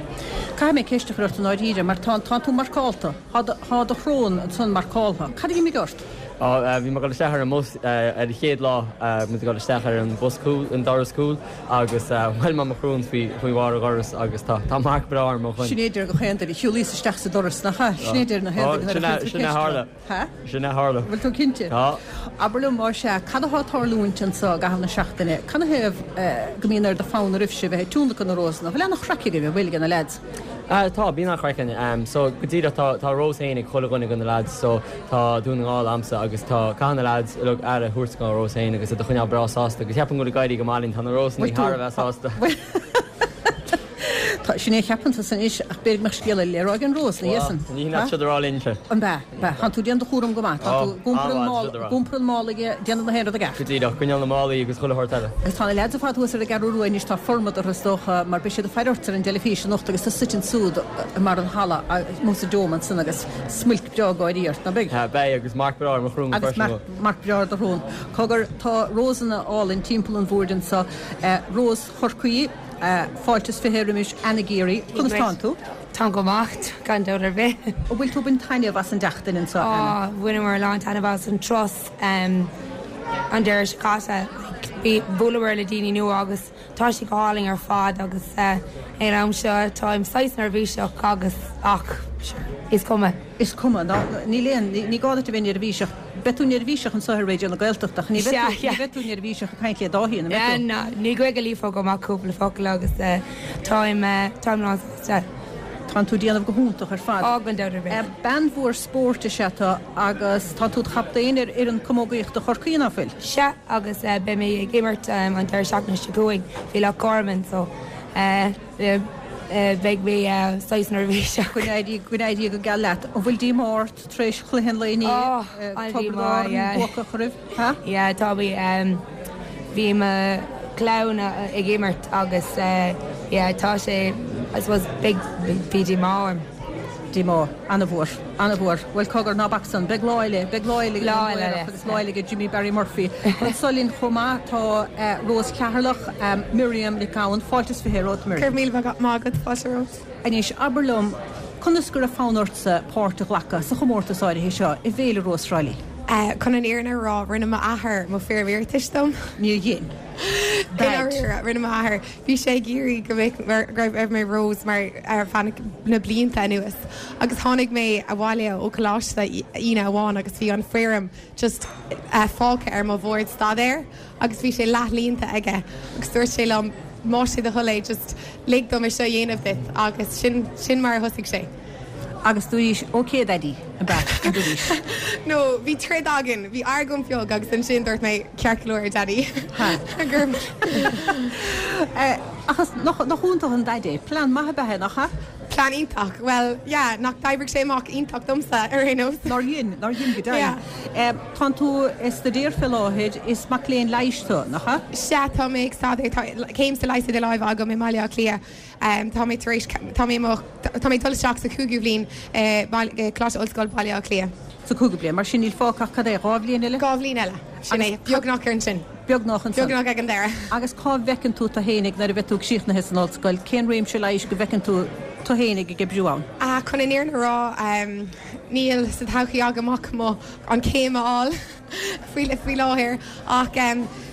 Caithfidh mé ceist a chur ort i ndáiríre mar tá tá tú marcálta, tá tá do shrón ansan marcáltha. Cad a d'imigh ort? Á, bhí mé ag dul isteach ar an mbus ar an chéad lá, muid ag dul isteach ar an bhus cúil, an doras cúil agus bhuail mé mo shrón faoi faoi bharr an dhorais agus tá tá marc breá ar mo dhroim. Sin é a deir gach aon duine, shiúlaíos isteach sa doras, nach ea? Sin é a deir na haon duine nuair a chuireann tú ceist orthu. Ha? Sin é a tharla. Bhfuil tú cinnte? Tá. Abair liom, más ea, cad atá ag tarlúint anso i gcaitheamh na seachtaine? Canathaobh go mbíonn ar do fonn oraibhse bheith ag tionlacan na rósanna? Bhfuil an-chraic agaibh, an bhfuil, ag na leaids? Tá, bíonn an-chraic againn. So, go díreach, tá tá rós féin ag chuile dhuine de na leaids so tá Dún na nGall a'msa agus tá, caithfidh na leaids uilig aire a thabhairt don rós féin agus iad a choinneáil breá sásta agus ceapaim go bhfuil ag éirí go maith linn, tá na rósanna thar a bheith sásta. Tá, sin é a cheapann tusa anois, ach b'fhéidir go mbeadh scéal eile le rá ag an rós, ina dhiaidh san. Ní hin leat siad a rá linnse. An b'ea? B'ea. Tánn tú ag déanamh do chúram go maith. Tá tú ag iompar an mála, ag iompar an mála ag déanamh na haon rud i gceart. Go díreach, coinneáil na málaí agus chuile shórt eile. Agus tá na leaids ar fad thuas ar an gCeathrú Rua anois, tá formad orthu is dócha, mar beidh siad ag faire ort ar an dteilifís anocht agus tú suite ansúd i mbarr an halla, amuigh sa dome ansan agus smuilc breá gáirí ort, ná beidh? Beidh, agus marc breá ar mo shrón freisin. Agus marc breá ar do shrón. Cogar, tá rósanna álainn timpeall an bhoird anso. Rós Chorcaí. Fáilte is 20 roimis Anna Geary. Conas tánn tú? Táim go maith, gan dabht ar bith. An bhfuil tú ag baint taitneamh as an tseachtain anseo, Anna? Á, bhaineamar a lán taitneamh as an turas an deireadh seo caite. Like, bhuaileamar le daoine nua agus tá sé go hálainn ar fad agus ag an am seo táim saghas neirbhíseach agus ach, sure, is cuma. Is cuma, ná, níl aon, ní gá duit a bheith neirbhíseach. Beidh tú neirbhíseach anseo ar Raidió na Gaeltachta ach ní bheidh tú, ní bheidh tú neirbhíseach ag caint le Dáithí, an mbeidh tú? Ná, ní Gaeilge líofa agam ach cúpla focal agus táim, táim lán sásta. Tánn tú ag déanamh go hiontach ar fad. Á, gan dabht ar bith. Bean mhór spóirt is ea tú agus tá tú i do chaptaen ar fhoireann camógaíochta Chorcaí, ná fuil? Sea, agus beidh mé ag imirt an deireadh seachtaine seo chugainn faoi Loch Garman so beidh mé saghas neirbhíseach. Go n-éirí, go n-éirí go geal leat. An bhfuil díomá ort? Tar éis chluiche an lae inné, Tiobraid Árann buacach oraibh, ha? Yeah, tá mé, bhí mo chlann ag imirt agus yeah, tá sé, I suppose, big, bhí díomá orm. Díomá, an-mhór, an-mhór. Bhuel, cogar, ná bac san, beidh lá eile, beidh lá eile ag an Laoireach agus lá eile ag Jimmy Barry Murphy. Anso linn chomh maith tá Rós Cheatharlach, Miriam Nic Gabhann, fáilte is 20 romhat, Miriam. Go raibh míle maith agat, fáilte romhat. Anois, abair liom, conas go raibh fonn ortsa páirt a ghlacadh sa chomórtas áirithe seo i bhFéile Rós Thrá Lí? Chun an fhírinne a rá, rinne m'athair mo foirm iarratais dom. Níor dhein. I ndáiríre, rinne m'athair. Bhí sé ag iarraidh go mbeadh, go raibh mé Rós mar ar feadh na blianta anuas. Agus tháinig mé abhaile ó choláiste Aoine amháin agus bhí an foirm just fágtha ar mo bhord staidéir. agus bhí sé leathlíonta aige agus dúirt sé liom más é do thoil é just lig dom é seo a dhéanamh duit agus sin sin mar a thosaigh sé. Agus dúraís ok Daddy, ab ea, an dúraís? No, bhí troid againn, bhí argóint bheag agus ansin dúirt mé ceart go leor Daddy. Gur. Ach is nach nach iontach an Daid é, plean maith ab ea é, nach ea? Plean iontach. Bhuel, yeah, nach d'oibrigh sé amach iontach domsa ar aon nós. Nár dhein, nár dhein go deimhin. Yeah. Tánn tú ag staidéar fé láthair, is mac léinn leighis tú, nach ea? Sea, tá mé ag staidéar, tá céim sa leigheas idir láimhe agam i mBaile Átha Cliath. Tá mé tar éis, tá mé i mo, tá mé ag dul isteach sa chúigiú bhliain i Coláiste Ollscoile Baile Átha Cliath. Sa chúigiú bliain, mar sin níl fágtha ach cad é, 2 bhliain eile? 2 bhliain eile, sin é, beagnach ar ansin. Beagnach ansan. Beagnach ag an deireadh. Agus cá bhfeiceann tú tú fhéinig nuair a bheidh tú críochnaithe san ollscoil? Cén réimse leighis go bhfeiceann tú tú fhéinig ag oibriú ann? Chun an fhírinne a rá, níl sa todhchaí agam ach mo, an chéim a fháil faoi, faoi láthair. Ach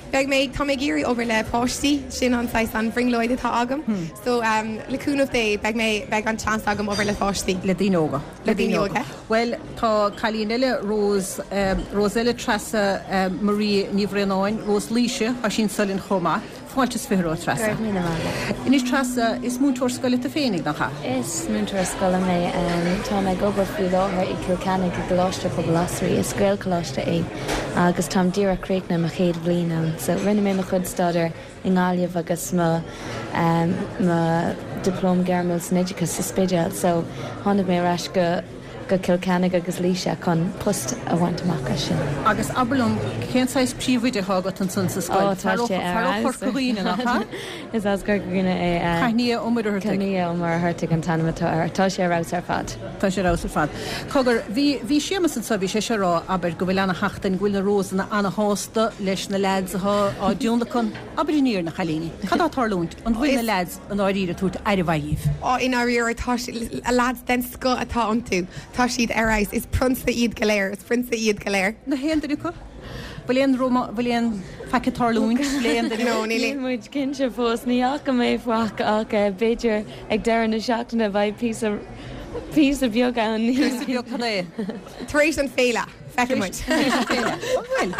beidh mé, tá mé ag iarraidh obair le páistí, sin an saghas, an bhrionglóid atá agam. So le cúnamh Dé, beidh mé, beidh an seans agam obair le páistí. Le daoine óga. Le daoine óga. Bhuel, tá cailín eile, Rose, Rose eile, Treasa Marie Ní Bhraonáin, Rós Laoise, tá sí anso linn chomh maith. Fáilte is 20 romhat, Treasa. Go raibh míle maith agat. Anois, Treasa, is múinteoir scoile tú féinig, nach ea? Is múinteoir scoile mé. Táim ag obair faoi láthair i gCill Chainnigh i gColáiste Pobail Osraí. Is Gaelcholáiste é agus táim díreach críochnaithe mo chéad bhliain ann. So, rinne mé mo chuid staidéir i nGaillimh agus mo mo Dioplóma Gairmiúil san Oideachas sa Spidéal. So, tháinig mé ar ais go. go Cill Chainnigh agus Laoise chun post a bhaint amach as sin. Agus abair liom, cén saghas príomhoide atá agat ansan sa scoil? Ó, tá sé ar Fear ó Chorca Dhuibhne, nach ea? Is as Corca Dhuibhne é. Caithnia Ó Muircheartaigh. Caithnia Ó Muircheartaigh an t-ainm atá air. Tá sé ar fheabhas ar fad. Tá sé ar fheabhas ar fad. Cogar, bhí, bhí Séamus anso, bhí sé ag rá, abair, go bhfuil ana-sheachtain, go bhfuil na Rósanna ana-shásta leis na leaids atá á dtionlacan. Abair an fhírinne, a chailíní, cad tá ag tarlúint? An bhfuil na leaids i ndáiríre ag tabhairt aire mhaith dhíbh. Á, i ndáiríre, tá leaids den scoth atá iontu. Tá siad ar fheabhas. Is prionsa iad go léir. Is prionsa iad go léir. Na haon duine acu? Bhfuil aon ruma, bhfuil aon faic ag tarlúint le aon duine? No, níl. Níl muid cinnte fós. Ní fhaca mé faic ach b'fhéidir ag deireadh na seachtaine beidh píosa, píosa beag ann. Píosa beag cad é? Tar éis an féile. Feicfidh muid. An bhfuil?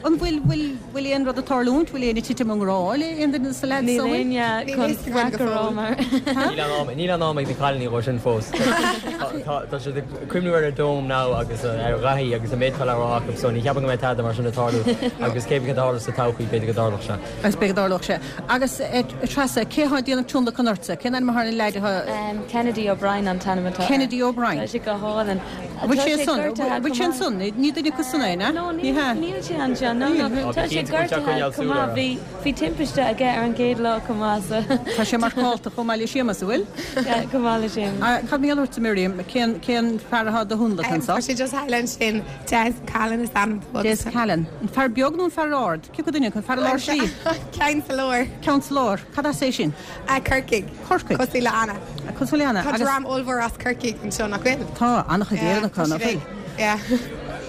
An bhfuil, bhfuil, bhfuil aon rud ag tarlúint? Bhfuil éinne ag titim i ngrá le aon duine de na leaids Níl so? éinne chun faic a rá mar. Níl aon am, níl aon am ag na cailíní dhó sin fós. Tá, tá siad ag cuimhniú ar a dóm now agus ar Dhaithí agus an méid atá le rá acu so ní cheapaim go mbeidh tada mar sin ag tarlú agus cé bith cad a tharlós sa todhchaí b'fhéidir go dtarlódh sé. Agus b'fhéidir go dtarlódh sé. Agus a Treasa, cé atá ag déanamh tionlacan ortsa? Cén ainm atá ar an leaid atá. Kennedy O'Brien an t-ainm atá air. Kennedy O'Brien. Tá sé go hálainn. Bhfuil sé ansan? Bhfuil sé ansan? Ní duine acu san é, an ea? No, níl sé anseo. No, no. Tá sé gortaithe chomh maith. Bhí, bhí timpiste aige ar an gcéad lá chomh maith, so. Tá sé marcálta chomh maith le Séamus, an bhfuil? Yeah, chomh maith le Séamus. Cad mar gheall ortsa, Miriam? Cén, cén fear atá do thionlacan anso? Tá sé just thall ansin. Des Callan is ainm dó agus. Des Callan. An fear beag nó an fear ard? Cé acu duine acu? An fear i lár slí? Ceann sa lár. Ceann sa lár. Cad as é sin? Corcaigh. Corcaigh. Cosúil le Anna. Cosúil le Anna. Tá dream ollmhór as Corcaigh anseo, nach bhfuil? Tá, an-chuid Éireannach ann, nach bhfuil? Yeah.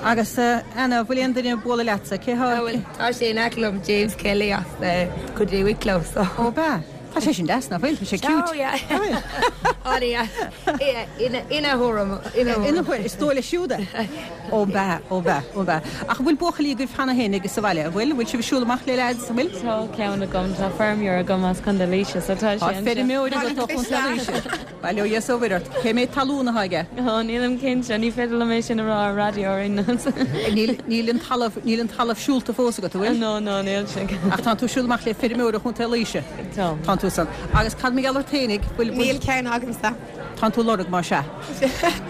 Agus Anna, bhfuil aon duine ag bualadh leatsa? Cé há? Bhuel, tá sé in aice liom, James Kelly as Contae Wicklow, so. Ó, bea. Tá sé sin deas, nach bhfuil? Tá sé cute. Oh, yeah. An-deas. Ina thuairim. Ina thuairim. Is dóigh leis siúd é. Ó bea, ó bea, ó bea. Ach an bhfuil buachaillí agaibh cheana féin agus sa bhaile, an bhfuil? An bhfuil sibh ag siúl amach le leaids, an bhfuil? Tá ceann agam, tá feirmeoir agam as Contae Laoise, so tá sé Tá anseo. feirmeoir agat ó Chontae Laoise. Bail ó Dhia is ó Mhuire ort. Cé méid talún atá aige? Ó, nílim cinnte, ní féidir liom é sin a rá ar raidió ar aon nós. Níl, níl an talamh, níl an talamh siúlta fós agat, an bhfuil? No, no, níl sé. Ach tánn tú ag siúl amach le feirmeoir ó Chontae Laoise? Tá. Tánn tú san. Agus cad mar gheall ort fhéinig? Bhfuil, bhfuil. Níl ceann agamsa. Tánn tú ag lorg, más ea.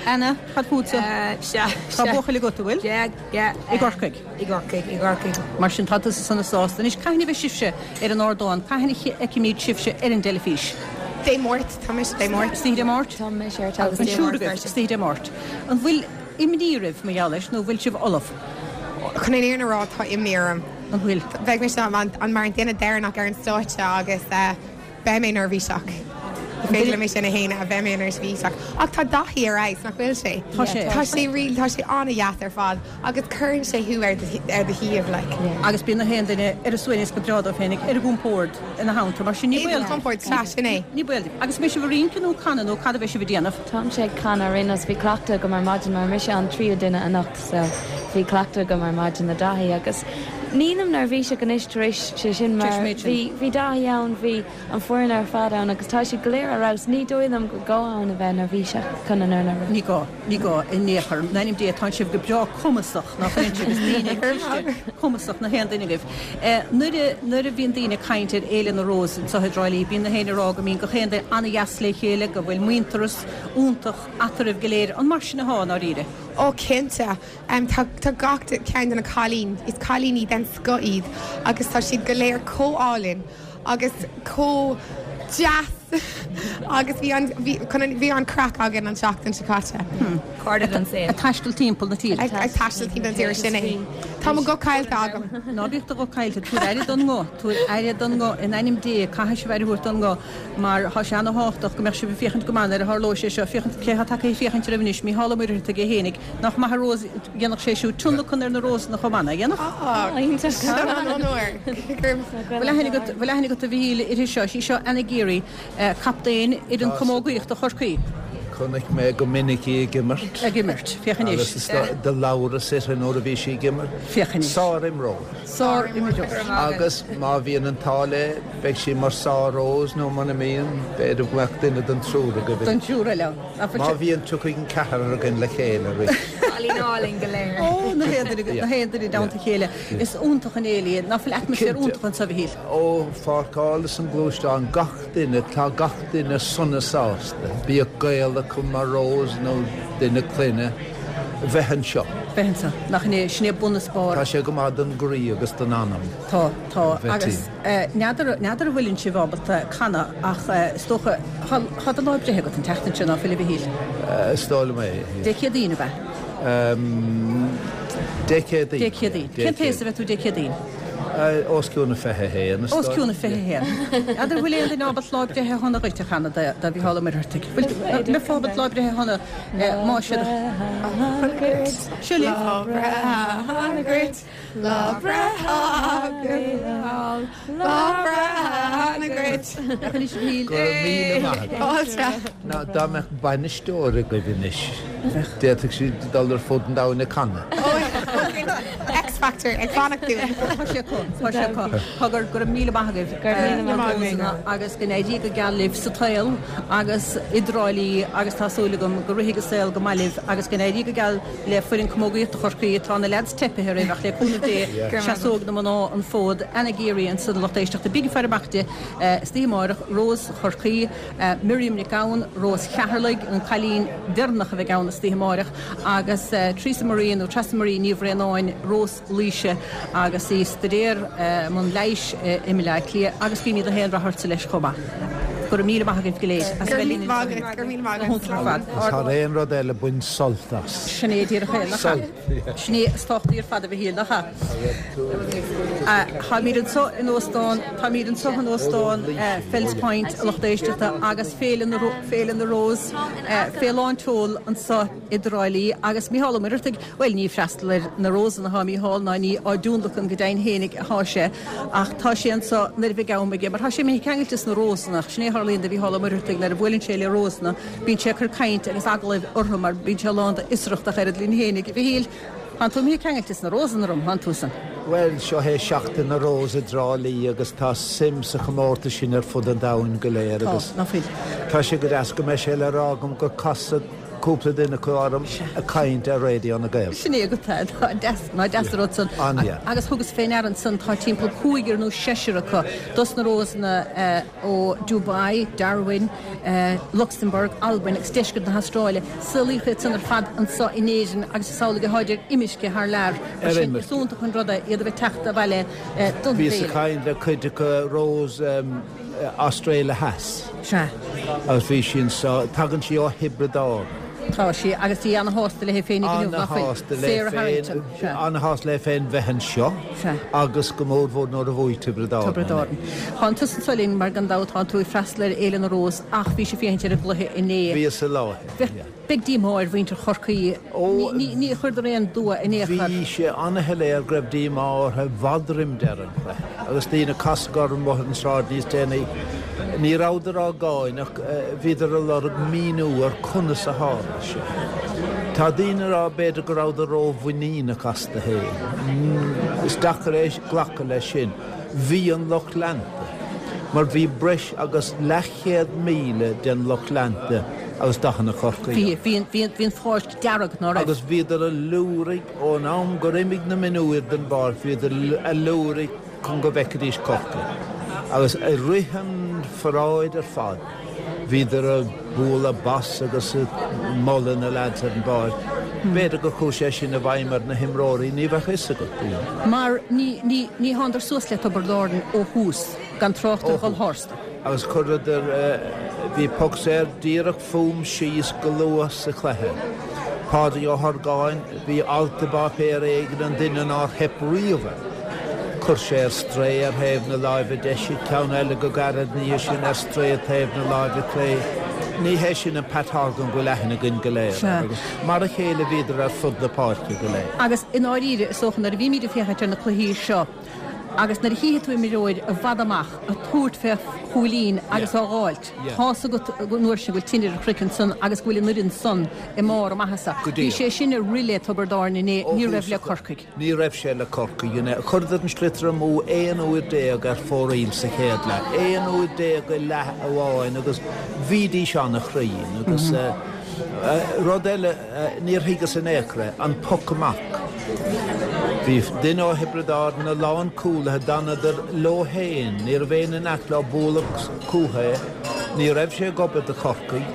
Anna, cad fútsa? Sea, Tá buachaill agat, an bhfuil? Yeah, yeah. I gCorcaigh? I gCorcaigh, i gCorcaigh. Mar sin, tá tusa sona sásta. Anois, cathain a bheidh sibhse ar an ardán? Cathain a fheicfimid sibhse ar an dteilifís? Dé Máirt, tá mise Dé Máirt. Istoíche Dé Máirt? Tá mise ar teilifís An Dé triúr Máirt agaibh, istoíche Dé Máirt. An bhfuil imní oraibh mar gheall leis nó an bhfuil sibh ullamh? Chun an fhírinne a rá, tá imní orm. An bhfuil? Beidh mise mar an duine deireanach ar an stáitse agus Beidh mé neirbhíseach. Ní féidir liom é sin a shéanadh, beidh mé neirbhíseach. Ach tá Daithí ar fheabhas, nach bhfuil sé? Tá sé. Tá sé really, tá sé an-dheas ar fad agus cuireann sé thú ar ar do shuíomh, like. Agus bíonn na haon duine ar a suaimhneas go breá dóibh féinig, ar a gcompord ina theannta, mar sin ní baol. Ar a gcompord, sea, sin é. Ní baol daoibh. Agus an mbeidh sibh ag rince nó ag canadh nó cad a bheidh sibh ag déanamh? Táimse ag canadh ar aon nós, bhí cleachtadh agam ar maidin mar mise an tríú duine anocht so bhí cleachtadh agam ar maidin le Daithí agus nílim neirbhíseach anois tar éis sé sin mar bhí bhí Daithí ann, bhí an foireann ar fad ann agus tá siad go léir ar fheabhas, ní dóigh liom gur gá ann a bheith neirbhíseach chun an fhírinne a rá. Ní gá, ní gá in aon chor. In ainm Dé, tánn sibh go breá cumasach, nach bhfuileann sibh? Is daoine cliste, cumasach na haon duine agaibh. Nuair a, nuair a bhíonn daoine ag caint ar Fhéile na Rós anseo i dTrá Lí, bíonn na héinne ag rá go mbíonn gach aon duine an-dheas le chéile, go bhfuil muintearas iontach eatarthu go léir. An mar sin athá, i ndáiríre? Ó, cinnte. Tá, tá gach ceann de na cailíní, is cailíní den scoth iad agus tá siad go léir chomh álainn agus chomh deas agus bhí an, bhí, chun an, bhí an craic againn an tseachtain seo caite. Cairde don saol. Ag taisteal timpeall na tíre. Ag taisteal timpeall na tíre, sin é. Tá mo ghuth caillte agam. Ná bíodh do ghuth caillte, tabhair aire don nguth, tabhair aire don nguth, in ainm Dé, caithfidh sibh aire a thabhairt don nguth mar tá sé ana-thábhachtach go mbeadh sibh ag féachaint go maith nuair a tharlóidh sé seo, féachaint cé atá tagtha ag féachaint oraibh anois, Mícheál Ó Muircheartaigh é fhéinig, Nach maith a Rós, dhéanfadh sé siúd tionlacan ar na Rósanna chomh maith, nach ndéanfadh? Á, iontach. An onóir. Bhfuil aithne agat, bhfuil aithne agat a Mhichíl uirthi seo? Is í seo Anna Geary, captaen fhoireann camógaíochta Chorcaí. Chonaic mé go minic í ag imirt. Ag imirt, féach anois. Agus is do labhras uirthi nuair a bhí sí ag imirt. Féach anois. Sár-imreoir. Sár-imreoir. Agus má bhíonn an t-ádh léi, beidh sí mar sár-Rose nó muna mbíonn, b'fhéidir go mbeadh duine den triúr agaibh. Den triúr eile ann. Má bhíonn, tiocfaidh an ceathrar againn le chéile arís. Cailín álainn go léir. Ó, na haon duine, na haon duine i dteannta a chéile. Is iontach an fhéile í. Ná fuil atmaisféar iontach anseo, a Mhichíl? Ó pháirceáil is an gluaisteán, gach duine, tá gach duine sona sásta, bíodh gaol acu mar Rose nó duine clainne, bheith anseo. Bheith anseo. Nach in é, sin é bun is barr. Tá sé go maith don gcroí agus don anam. Tá, tá. Bheith Agus n'fheadar, n'fheadar an bhfuileann sibh ábalta canadh ach is dócha, tá, tá do lá breithe agat an tseachtain seo, ná fuil a Mhichíl? Is dóigh liom é. Dé Céadaoin, ab ea? Dé Céadaoin. Dé Céadaoin. Cén t-aos a bheidh tú Dé Céadaoin? Os cionn a 21, is dóigh. Os cionn a 21. N'fheadar an bhfuil aon duine ábalta Lá Breithe Shona Dhuit a chanadh do Mhícheál Ó Muircheartaigh. Bhfuil mbeifeá ábalta Lá Breithe Shona má siad. Seo libh. Lá breithe shona dhuit, lá breithe Lá breithe shona dhuit. Anois a Mhichíl. Go raibh míle maith agat. Fáilte. Ná dá mbeadh bainisteoir agaibh anois, d'fhéadfadh sí dul ar fud an domhain ag canadh. X Factor ag fanacht dúinn. Tá sé acu, tá sé acu. Cogar, go raibh míle maith agaibh. Go raibh míle maith agaibh. Agus go n-éirí go geal libh sa tsaol agus i dTrá Lí agus tá súil agam go rithfidh an saol go maith libh agus go n-éirí go geal le foireann camógaíochta Chorcaí. Tá na leaids teipithe oraibh ach le cúnamh Dé seasóidh na mná an fód. Anna Geary ansan a lucht éisteachta. Bígí ag faire amach di istoíche amárach, Rós Chorcaí. Miriam Nic Gabhann, Rós Cheatharlaigh, an cailín deireanach a bheidh ann istoíche amáireach, agus Teresa Marie nó Treasa Marie Ní Bhraonáin, Rós Laoise, agus í ag staidéar i mbun leighis i mBaile Átha Cliath agus guímid gach aon rath ortsa leis chomh maith. Go raibh míle maith agaibh go léir as a bheith linn anseo. Go raibh míle maith agat. Go hiontach ar fad. Is thar aon rud eile, bain sult as. Sin é díreach é, nach ea? Sin é is tábhachtaí ar fad a Mhichíl, nach ea? Táimid anseo in óstán, táimid anseo in óstán Fells Point, a lucht éisteachta, agus Féile na, Féile na Rós fé lán tseoil anseo i dTrá Lí agus Mícheál Ó Muircheartaigh, bhuel ní ag freastal ar na Rósanna atá Mícheál ná ní á dtionlacan go deimhin fhéinig atá sé ach tá sé anseo nuair a bheidh am aige mar tá sé imithe ceangailte sna Rósanna ach sin é a tharlaíonn do Mhícheál Ó Muircheartaigh nuair a bhuaileann sé le Rósanna bíonn sé ag cur caint agus agallaimh orthu mar bíonn sé lán d'fhiosracht ach oiread linn fhéinig. A Mhichíl, Tánn tú imithe ceangailte sna Rósanna orm, thánn túsan. Bhuel, seo é Seachtain na Rós i dTrá Lí agus tá suim sa chomórtas sin ar fud an domhain go léir Tá, agus ná fuil. tá sé go deas go mbeidh sé le rá agam gur casadh cúpla duine acu orm ag caint ar Raidió na Gaeltachta. Sin é agat é, ná deas, ná deas an rud san. An-dheas. Agus thugas fé ndeara ansan, tá timpeall cúigear nó seisear acu dos na Rósanna ó Dubai, Darwin, Luxembourg, Albain agus deisceart na hAstráile. Saolaíodh iad san ar fad anso in Éirinn agus is amhlaidh atáid ar imirce thar lear. Mar sin, is iontach an rud é iad a bheith ag teacht abhaile don Bhíos bhféile. ag caint le cuid acu, Rose Astráile Theas. Sea. Agus bhí sí anso, tagann sí ó Thiobraid Árann. Tá sí, agus í ana-shásta léi féin inniu, nach bhfuil? Ana-shásta léi Sarah féin, Harrington, sea. ana-shásta léi féin bheith anseo. Sea. Agus go mórmhór nuair a bhuaigh Tiobraid Árann. Tiobraid Árann. Tánn tusa anso linn mar gan dabht tánn tú ag freastal ar Fhéile na Rós ach bhís ag féachaint ar an gcluiche inné. Bhíos i láthair, yeah. Beidh díomá ar mhuintir Chorcaí. Ní chuireadar aon dua in aon chor. Bhí sé ana-shoiléir go raibh díomá orthu i bhfad roim deireadh an chluiche. Agus daoine a casadh orm amuigh ar an sráid níos déanaí, ní rabhadar á gcáineadh, bhíodar ag lorg míniú ar conas a tharla sé. Tá daoine ag rá b'fhéidir go rabhadar ró-mhuiníneach astu féin. Is deacair é glacadh leis sin. Bhí an lucht leanta, mar bhí breis agus leathchéad 1,000 den lucht leanta agus dathanna Chorcaí Bhí, bhí, bhí, bhí an pháirc dearg, ná raibh? Agus bhíodar ag liúraigh ón am gur imigh na mionúir den bpáirc, bhíodar ag liúraigh chun go bhfeicfidís Corcaigh. Agus i rith an pharáid ar fad, bhíodar ag bualadh bos agus ag moladh na leaids ar an bpáirc. B'fhéidir gur chuaigh sé sin i bhfeidhm ar na himreoirí, ní bheadh fhios agat. Mar ní, ní, ní thánadar suas le Tiobraid Árann ó thús, gan trácht ar dhul tharstu. Agus chuireadar, bhí poc saor díreach fúm síos go luath sa chluiche. Pádraig Ó hOrgáin, bhí alt i bpáipéar éigin, an duine nár theip riamh air. Chuir sé ar strae ar thaobh na láimhe deise, ceann eile go gairid ina dhiaidh sin ar strae taobh na láimhe clé. Ní hé sin an Pat Horgan go bhfuil aithne againn go léir air agus mar a chéile bhíodar ar fud na páirce go léir. Agus i ndáiríre, is dócha, nuair a bhímid ag féachaint ar na cluichí seo. Agus nuair a chífidh tú imreoir i bhfad amach ag tabhairt fé chúilín agus á dh'fháilt, tá's agat an uair sin go bhfuil tine ar a chraiceann san agus go bhfuil an fhoireann san i mbarr a maitheasa. Bhí sé sin ag rith le Tiobraid Árann inné, ní raibh le Corcaigh. Ní raibh sé le Corcaigh inné. Chuireadar an sliotar amú 11 uair ar fóraoil sa chéad leath. 11 uair i leath amháin agus bhídís an-chruinn. Agus rud eile, níor thuigeas in aon chor é, an poc amach. Bhí duine ó Thiobraid Árann, a lán cúlaithe, d'fhanadar leo féin, ní raibh éinne in aice leo bualadh chucu é. Ní raibh sé ag obair do Chorcaigh.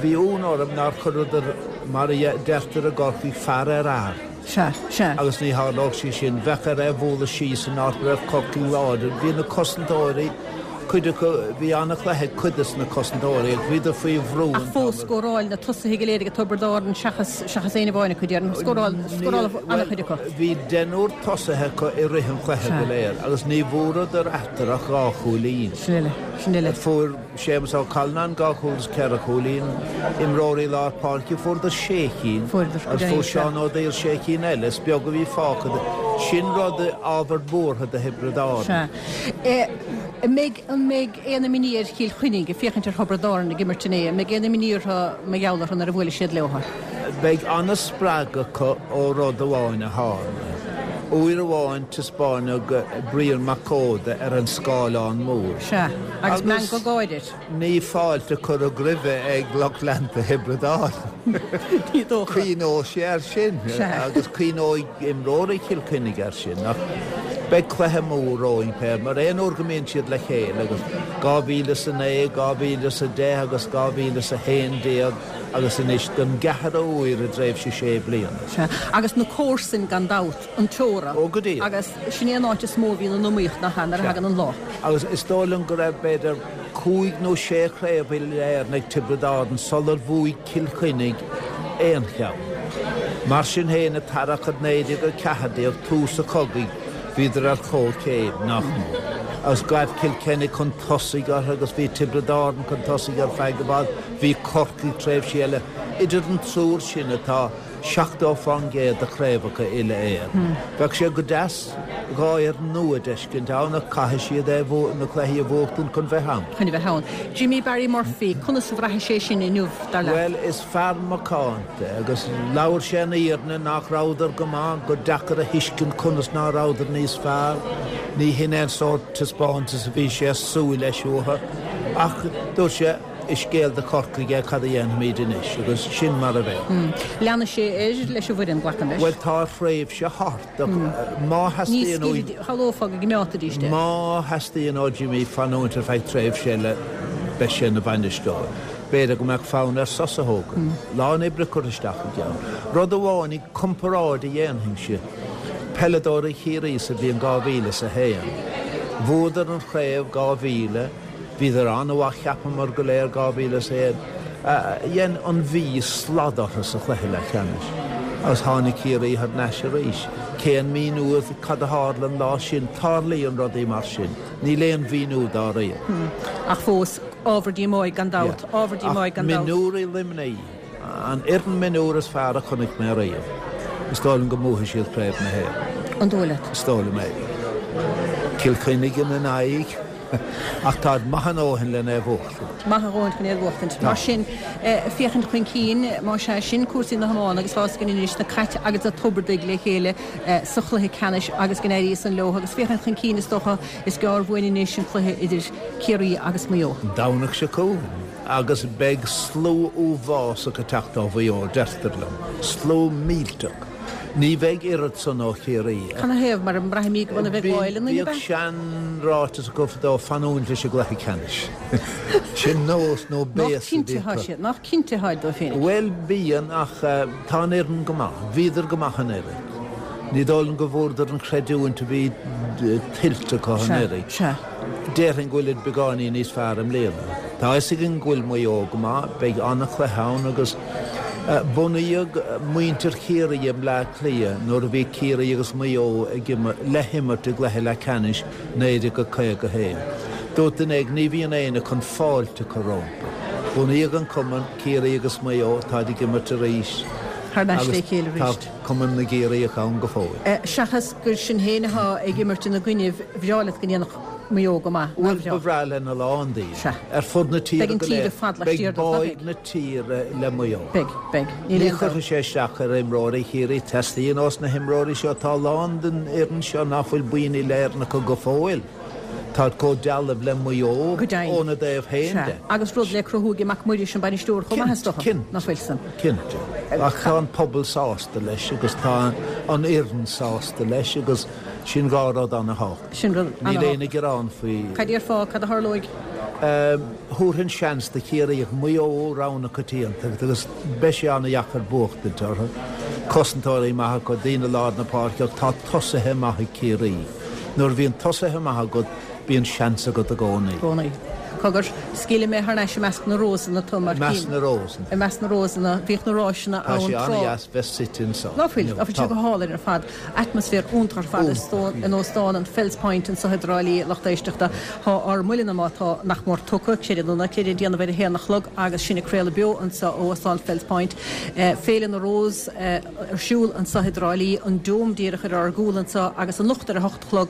Bhí ionadh orm nár chuireadar, mar a deirtear i gCorcaigh, fear ar fhear. Sea, sea. Agus ní tharlódh sé sin. Bheadh air é a bhualadh síos in áit a raibh Corcaigh láidir. Bhí na cosantóirí, cuid acu, bhí an-chluiche ag cuid de na cosantóirí ach bhíodar faoi bhrú an t-am. Ach fós, scóráil na tosaithe go léir ag Tiobraid Árann seachas, seachas éinne amháin acu, déarfainn. Scóráil, scóráil an-chuid acu. Bhí deichniúr tosaithe acu i rith an chluiche go léir agus ní bhfuaireadar eatarthu ach dhá chúilín. Sin uile, sin uile. Fuair. Séamus Ó Callanáin, 2 chúl agus 4 chúilín, imreoirí lár páirce, fuaireadar 6 chinn agus fuair Seán Ó Daill 6 chinn eile, is beag a bhí fágtha de. Sin rud, ábhar buartha do Thiobraid Árann. Sea. An mbeidh, an mbeidh aon imní ar Chill Chainnigh ag féachaint ar Thiobraid Árann ag imirt inné, an mbeidh aon imní orthu mar gheall orthu nuair a bhuailfidh siad leo? Beidh an-spreagadh acu ó rud amháin a tharla. Uair amháin taispeáineadh Brian Mac Códa ar an scáileán mór. Sea, agus meangadh gáire air. Ní fáilte cuireadh roimhe ag lucht leanta Thiobraid Árann. Ní dócha. Cuimhneoidh sé air sin. Sea. Agus cuimhneoidh imreoirí Chill Chainnigh air sin. Ach beidh cluiche mór romhainn pé mar aon uair go mbíonn siad le chéile agus 2009, 2010 agus 2011 agus anois don gceathrú huair i dtréimhse sé bliana. Sea. Agus na comharsain gan dabht. an teora. Ó, go díreach. Agus sin é an áit is mó a bhíonn an iomaíocht, nach ea, nuair a thagann an lá. Agus is dóigh liom go raibh, b'fhéidir, cúig nó sé chraobh uile-Éireann ag Tiobraid Árann sular bhuaigh Cill Chainnigh aon cheann. Mar sin féin, an t-earrach i 1914, tús an chogaidh, bhíodar ar chomhchéim, nach mór. Agus ghaibh Cill Chainnigh chun tosaigh orthu agus bhí Tiobraid Árann chun tosaigh ar feadh i bhfad, bhí Corcaigh tréimhsí eile. Idir an triúr sin atá. 70% de chraobhacha uile-Éireann. Bheadh sé go deas 2 fhoireann nua d'fheiscint ann ach caithfidh siad é na cluichí a bhuachtaint chun bheith ann. Chun a bheith ann. Jimmy Barry Murphy, conas a bhraithfidh sé sin inniu, dar leat? Bhuel, is fear macánta é agus labhair sé an fhírinne nach rabhadar go maith, gur deacair a thuiscint conas ná rabhadar níos fearr. Ní hin é an sórt taispeántas a bhí sé ag súil leis uathu ach dúirt sé, Is scéal do Chorcaigh é cad a dhéanfaimid anois agus sin mar a bheidh. Leanfaidh sé air leis an bhfoireann, glacaim leis. Bhuel, tá a thréimhse thart ach má theastaíonn uaidh. Shamhlófá go gcoimeádfaidís é. Má theastaíonn ó Jimmy fanúint ar feadh tréimhse eile, beidh sé ina bhainisteoir. B'fhéidir go mbeadh fonn air sos a thógaint. Lán oibre curtha isteach aige ann. Rud amháin i gcomparáid a dhéanfainnse, peileadóirí Chiarraí sa bhliain 2001. Bhuadar an chraobh 2000. Bhíodar an-mhaith cheapamar go léir 2001. Dhein an Mhí slad orthu sa chluiche leathcheannais agus tháinig Ciarraí thar n-ais arís. Cén míniú cad a tharla an lá sin? Tarlaíonn rudaí mar sin. Níl aon mhíniú dá réir. Ach fós, ábhar díomáidh gan dabht. Ábhar díomáidh gan dabht. Ach mionúirí Luimnigh. An fhoireann mionúr is fearr a chonaic mé riamh. Is dóigh liom go mbuafaidh siad Craobh na hÉireann. An dóigh leat? Is dóigh liom é. Cill Chainnigh ina n-aghaidh. Ach táid maith a ndóthain len é a bhuachtaint. Maith a ndóthain chun é a bhuachtaint. Mar sin, féachaint chun cinn, más ea, sin cúrsaí na hiomána agus tá a fhios againn anois na Cait agus na Tiobradaigh le chéile sa chluiche ceannais agus go n-éirí san leo agus féachaint chun cinn is dócha is gearr uainn anois an cluiche idir Ciarraí agus Maigh Eo. An Domhnach seo chugainn agus beidh slua uafásach ag teacht ó Mhaigh Eo, deirtear liom. Slua millteach. Ní bheidh oiread san ó Chiarraí. Canathaobh? Mar braithimid go bhfuil a bheith ag gáil Bhíodh seanráiteas acu fadó, fanúint leis an gcluiche ceannais. Sin nós nó béas a bhí acu. Nach cinnte atáid dóibh féinig? Bhuel, bíonn, ach tá an fhoireann go maith. Bhíodar go maith anuraidh. Ní dóigh liom go bhfuaireadar an chreidiúint a bhí tuillte acu anuraidh. Déarfainn go bhfuilid beagáinín níos fearr i mbliana. Tá a fhios againn go bhfuil Maigh Eo go maith, beidh an-chluiche ann agus bunaíodh muintir Chiarraí i mBleá Cliath nuair a bhí Ciarraí agus Maigh Eo ag le himirt i gcluiche leathcheannais 1951. Dúirt duine éigin, ní bhíonn éinne chun fáilte a chur rompu. Bunaíodh an cumann, Ciarraí agus Maigh Eo, táid ag imirt arís. Thar n-ais le chéile arís. Tá Cumann na gCiarraíoch ann go fóill. Seachas gur sinn féin atá ag imirt ina gcoinnibh, bhreá leat go ndéanfadh Maigh Eo go maith, nár bhreá? Bhuel, ba bhreá lena lán daoine. Sea. Ar fud na tíre go léir. Beidh an tír ar fad laistiar díobh, ná beidh? Beidh báidh na tíre le Maigh Eo. Beidh, beidh. Níl Ní aon dabht. chuirfidh sé isteach ar imreoirí Chiarraí. Teastaíonn ós na himreoirí seo. Tá a lán den fhoireann seo ná fuil buíon uile-Éireann acu go fóill. Táid chomh dealbh le Maigh Eo Go deimhin. óna dtaobh féin Sea. de. Agus rud le cruthú ag Mac Muiris, an bainisteoir, chomh maith, is dócha, Cinnte. nach bhfuil san? Cinnte. Ach tá an pobal sásta leis agus tá an fhoireann sásta leis agus sin dhá rud ana-thábhachtach. Sin rud Níl ana-thábhachtach. aon ghearán faoi. Cad déarfá, cad a tharlóidh? Thabharfainn seans do Chiarraí ach Maigh Eo rogha na coitianta agus beidh sé ana-dheacair buachtaint orthu. Cosantóirí maith acu, daoine lár na páirce ach tá tosaithe maith ag Ciarraí. Nuair a bhíonn tosaithe maith agat, bíonn seans agat i gcónaí. gcónaí. Cogar, scaoilfidh mé thar n-ais i measc na rósanna tú, mar I measc na rósanna. I measc na rósanna. Bhíodh na ráiseanna Tá ann sé tráth. an-dheas bheith suite anso Ná fuil? inniu. Tá sé Tá. go hálainn ar fad. Atmaisféar iontach ar fad Iontach. in óstán an Fells Point anso i dTrá Lí, lucht éisteachta. Tá ár mbuille ama atá nach mór tugtha, creid é nó ná creid, ag déanamh ar a haon a chlog agus sinn ag craoladh beo anso ó Óstán Fells Point. Féile na Rós. ar siúl anso i dTrá Lí, an Dome díreach ar ár gcúl anso agus anocht ar a hocht a chlog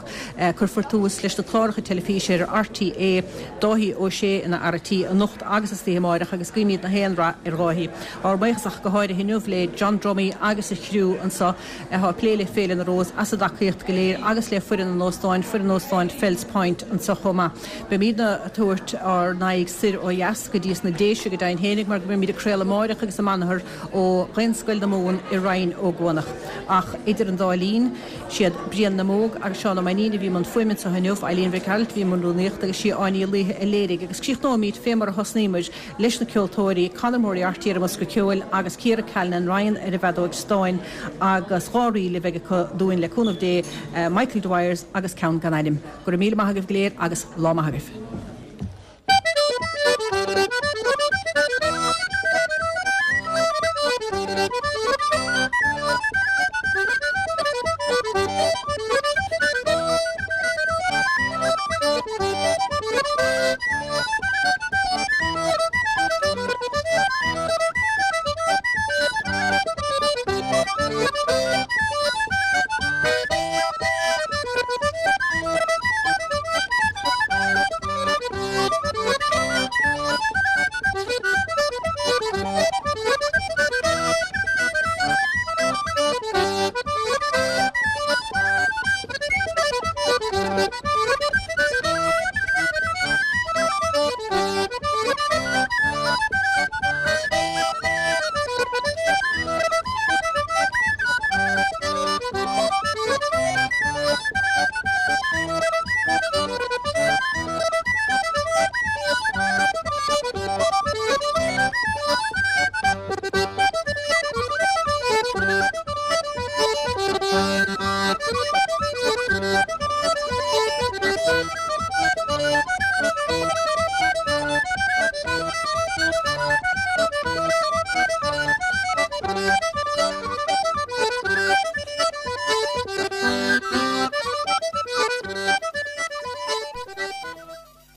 cuirfear tús leis na cláracha teilifíse ar RTÉ, Dáithí Ó Sé ina fhear a' tí anocht agus istoíche amáireach agus guímid na haon rath ar Dháithí. Ár mbuíochas ach go háirithe inniu le John Dromey agus a chriú anso atá ag plé le Féile na Rós as a dtacaíocht go léir agus le foireann an óstáin, foireann Óstán Fells Point anso chomh maith. Beimídne ag tabhairt ár n-aghaidh soir ó dheas go dtí sna Déise go deimhin fhéinig mar go mbeimíd ag craoladh amáireach agus amanathar ó Dhaonscoil na Mumhan i Rinn Ó gCuanach. Ach idir an dá linn, siad Brian na mBóg agus Seán Ó Mainnín a bhí i mbun fuaime anseo inniu, Eileen Mhic Gearailt a bhí i mbun rúnaíochta agus sí Áine Uí Laoithe a léirigh. Agus críochnóimid fé mar a thosnaíomar, leis na ceoltóirí, Conor Moriarty ar an mbosca ceoil agus Ciara Callinan Ryan ar an bhfeadóig stáin agus dhá ríl a bheidh acu dúinn le cúnamh Dé, Michael Dwyers agus ceann gan ainm. Go raibh míle maith agaibh go léir agus lá maith agaibh.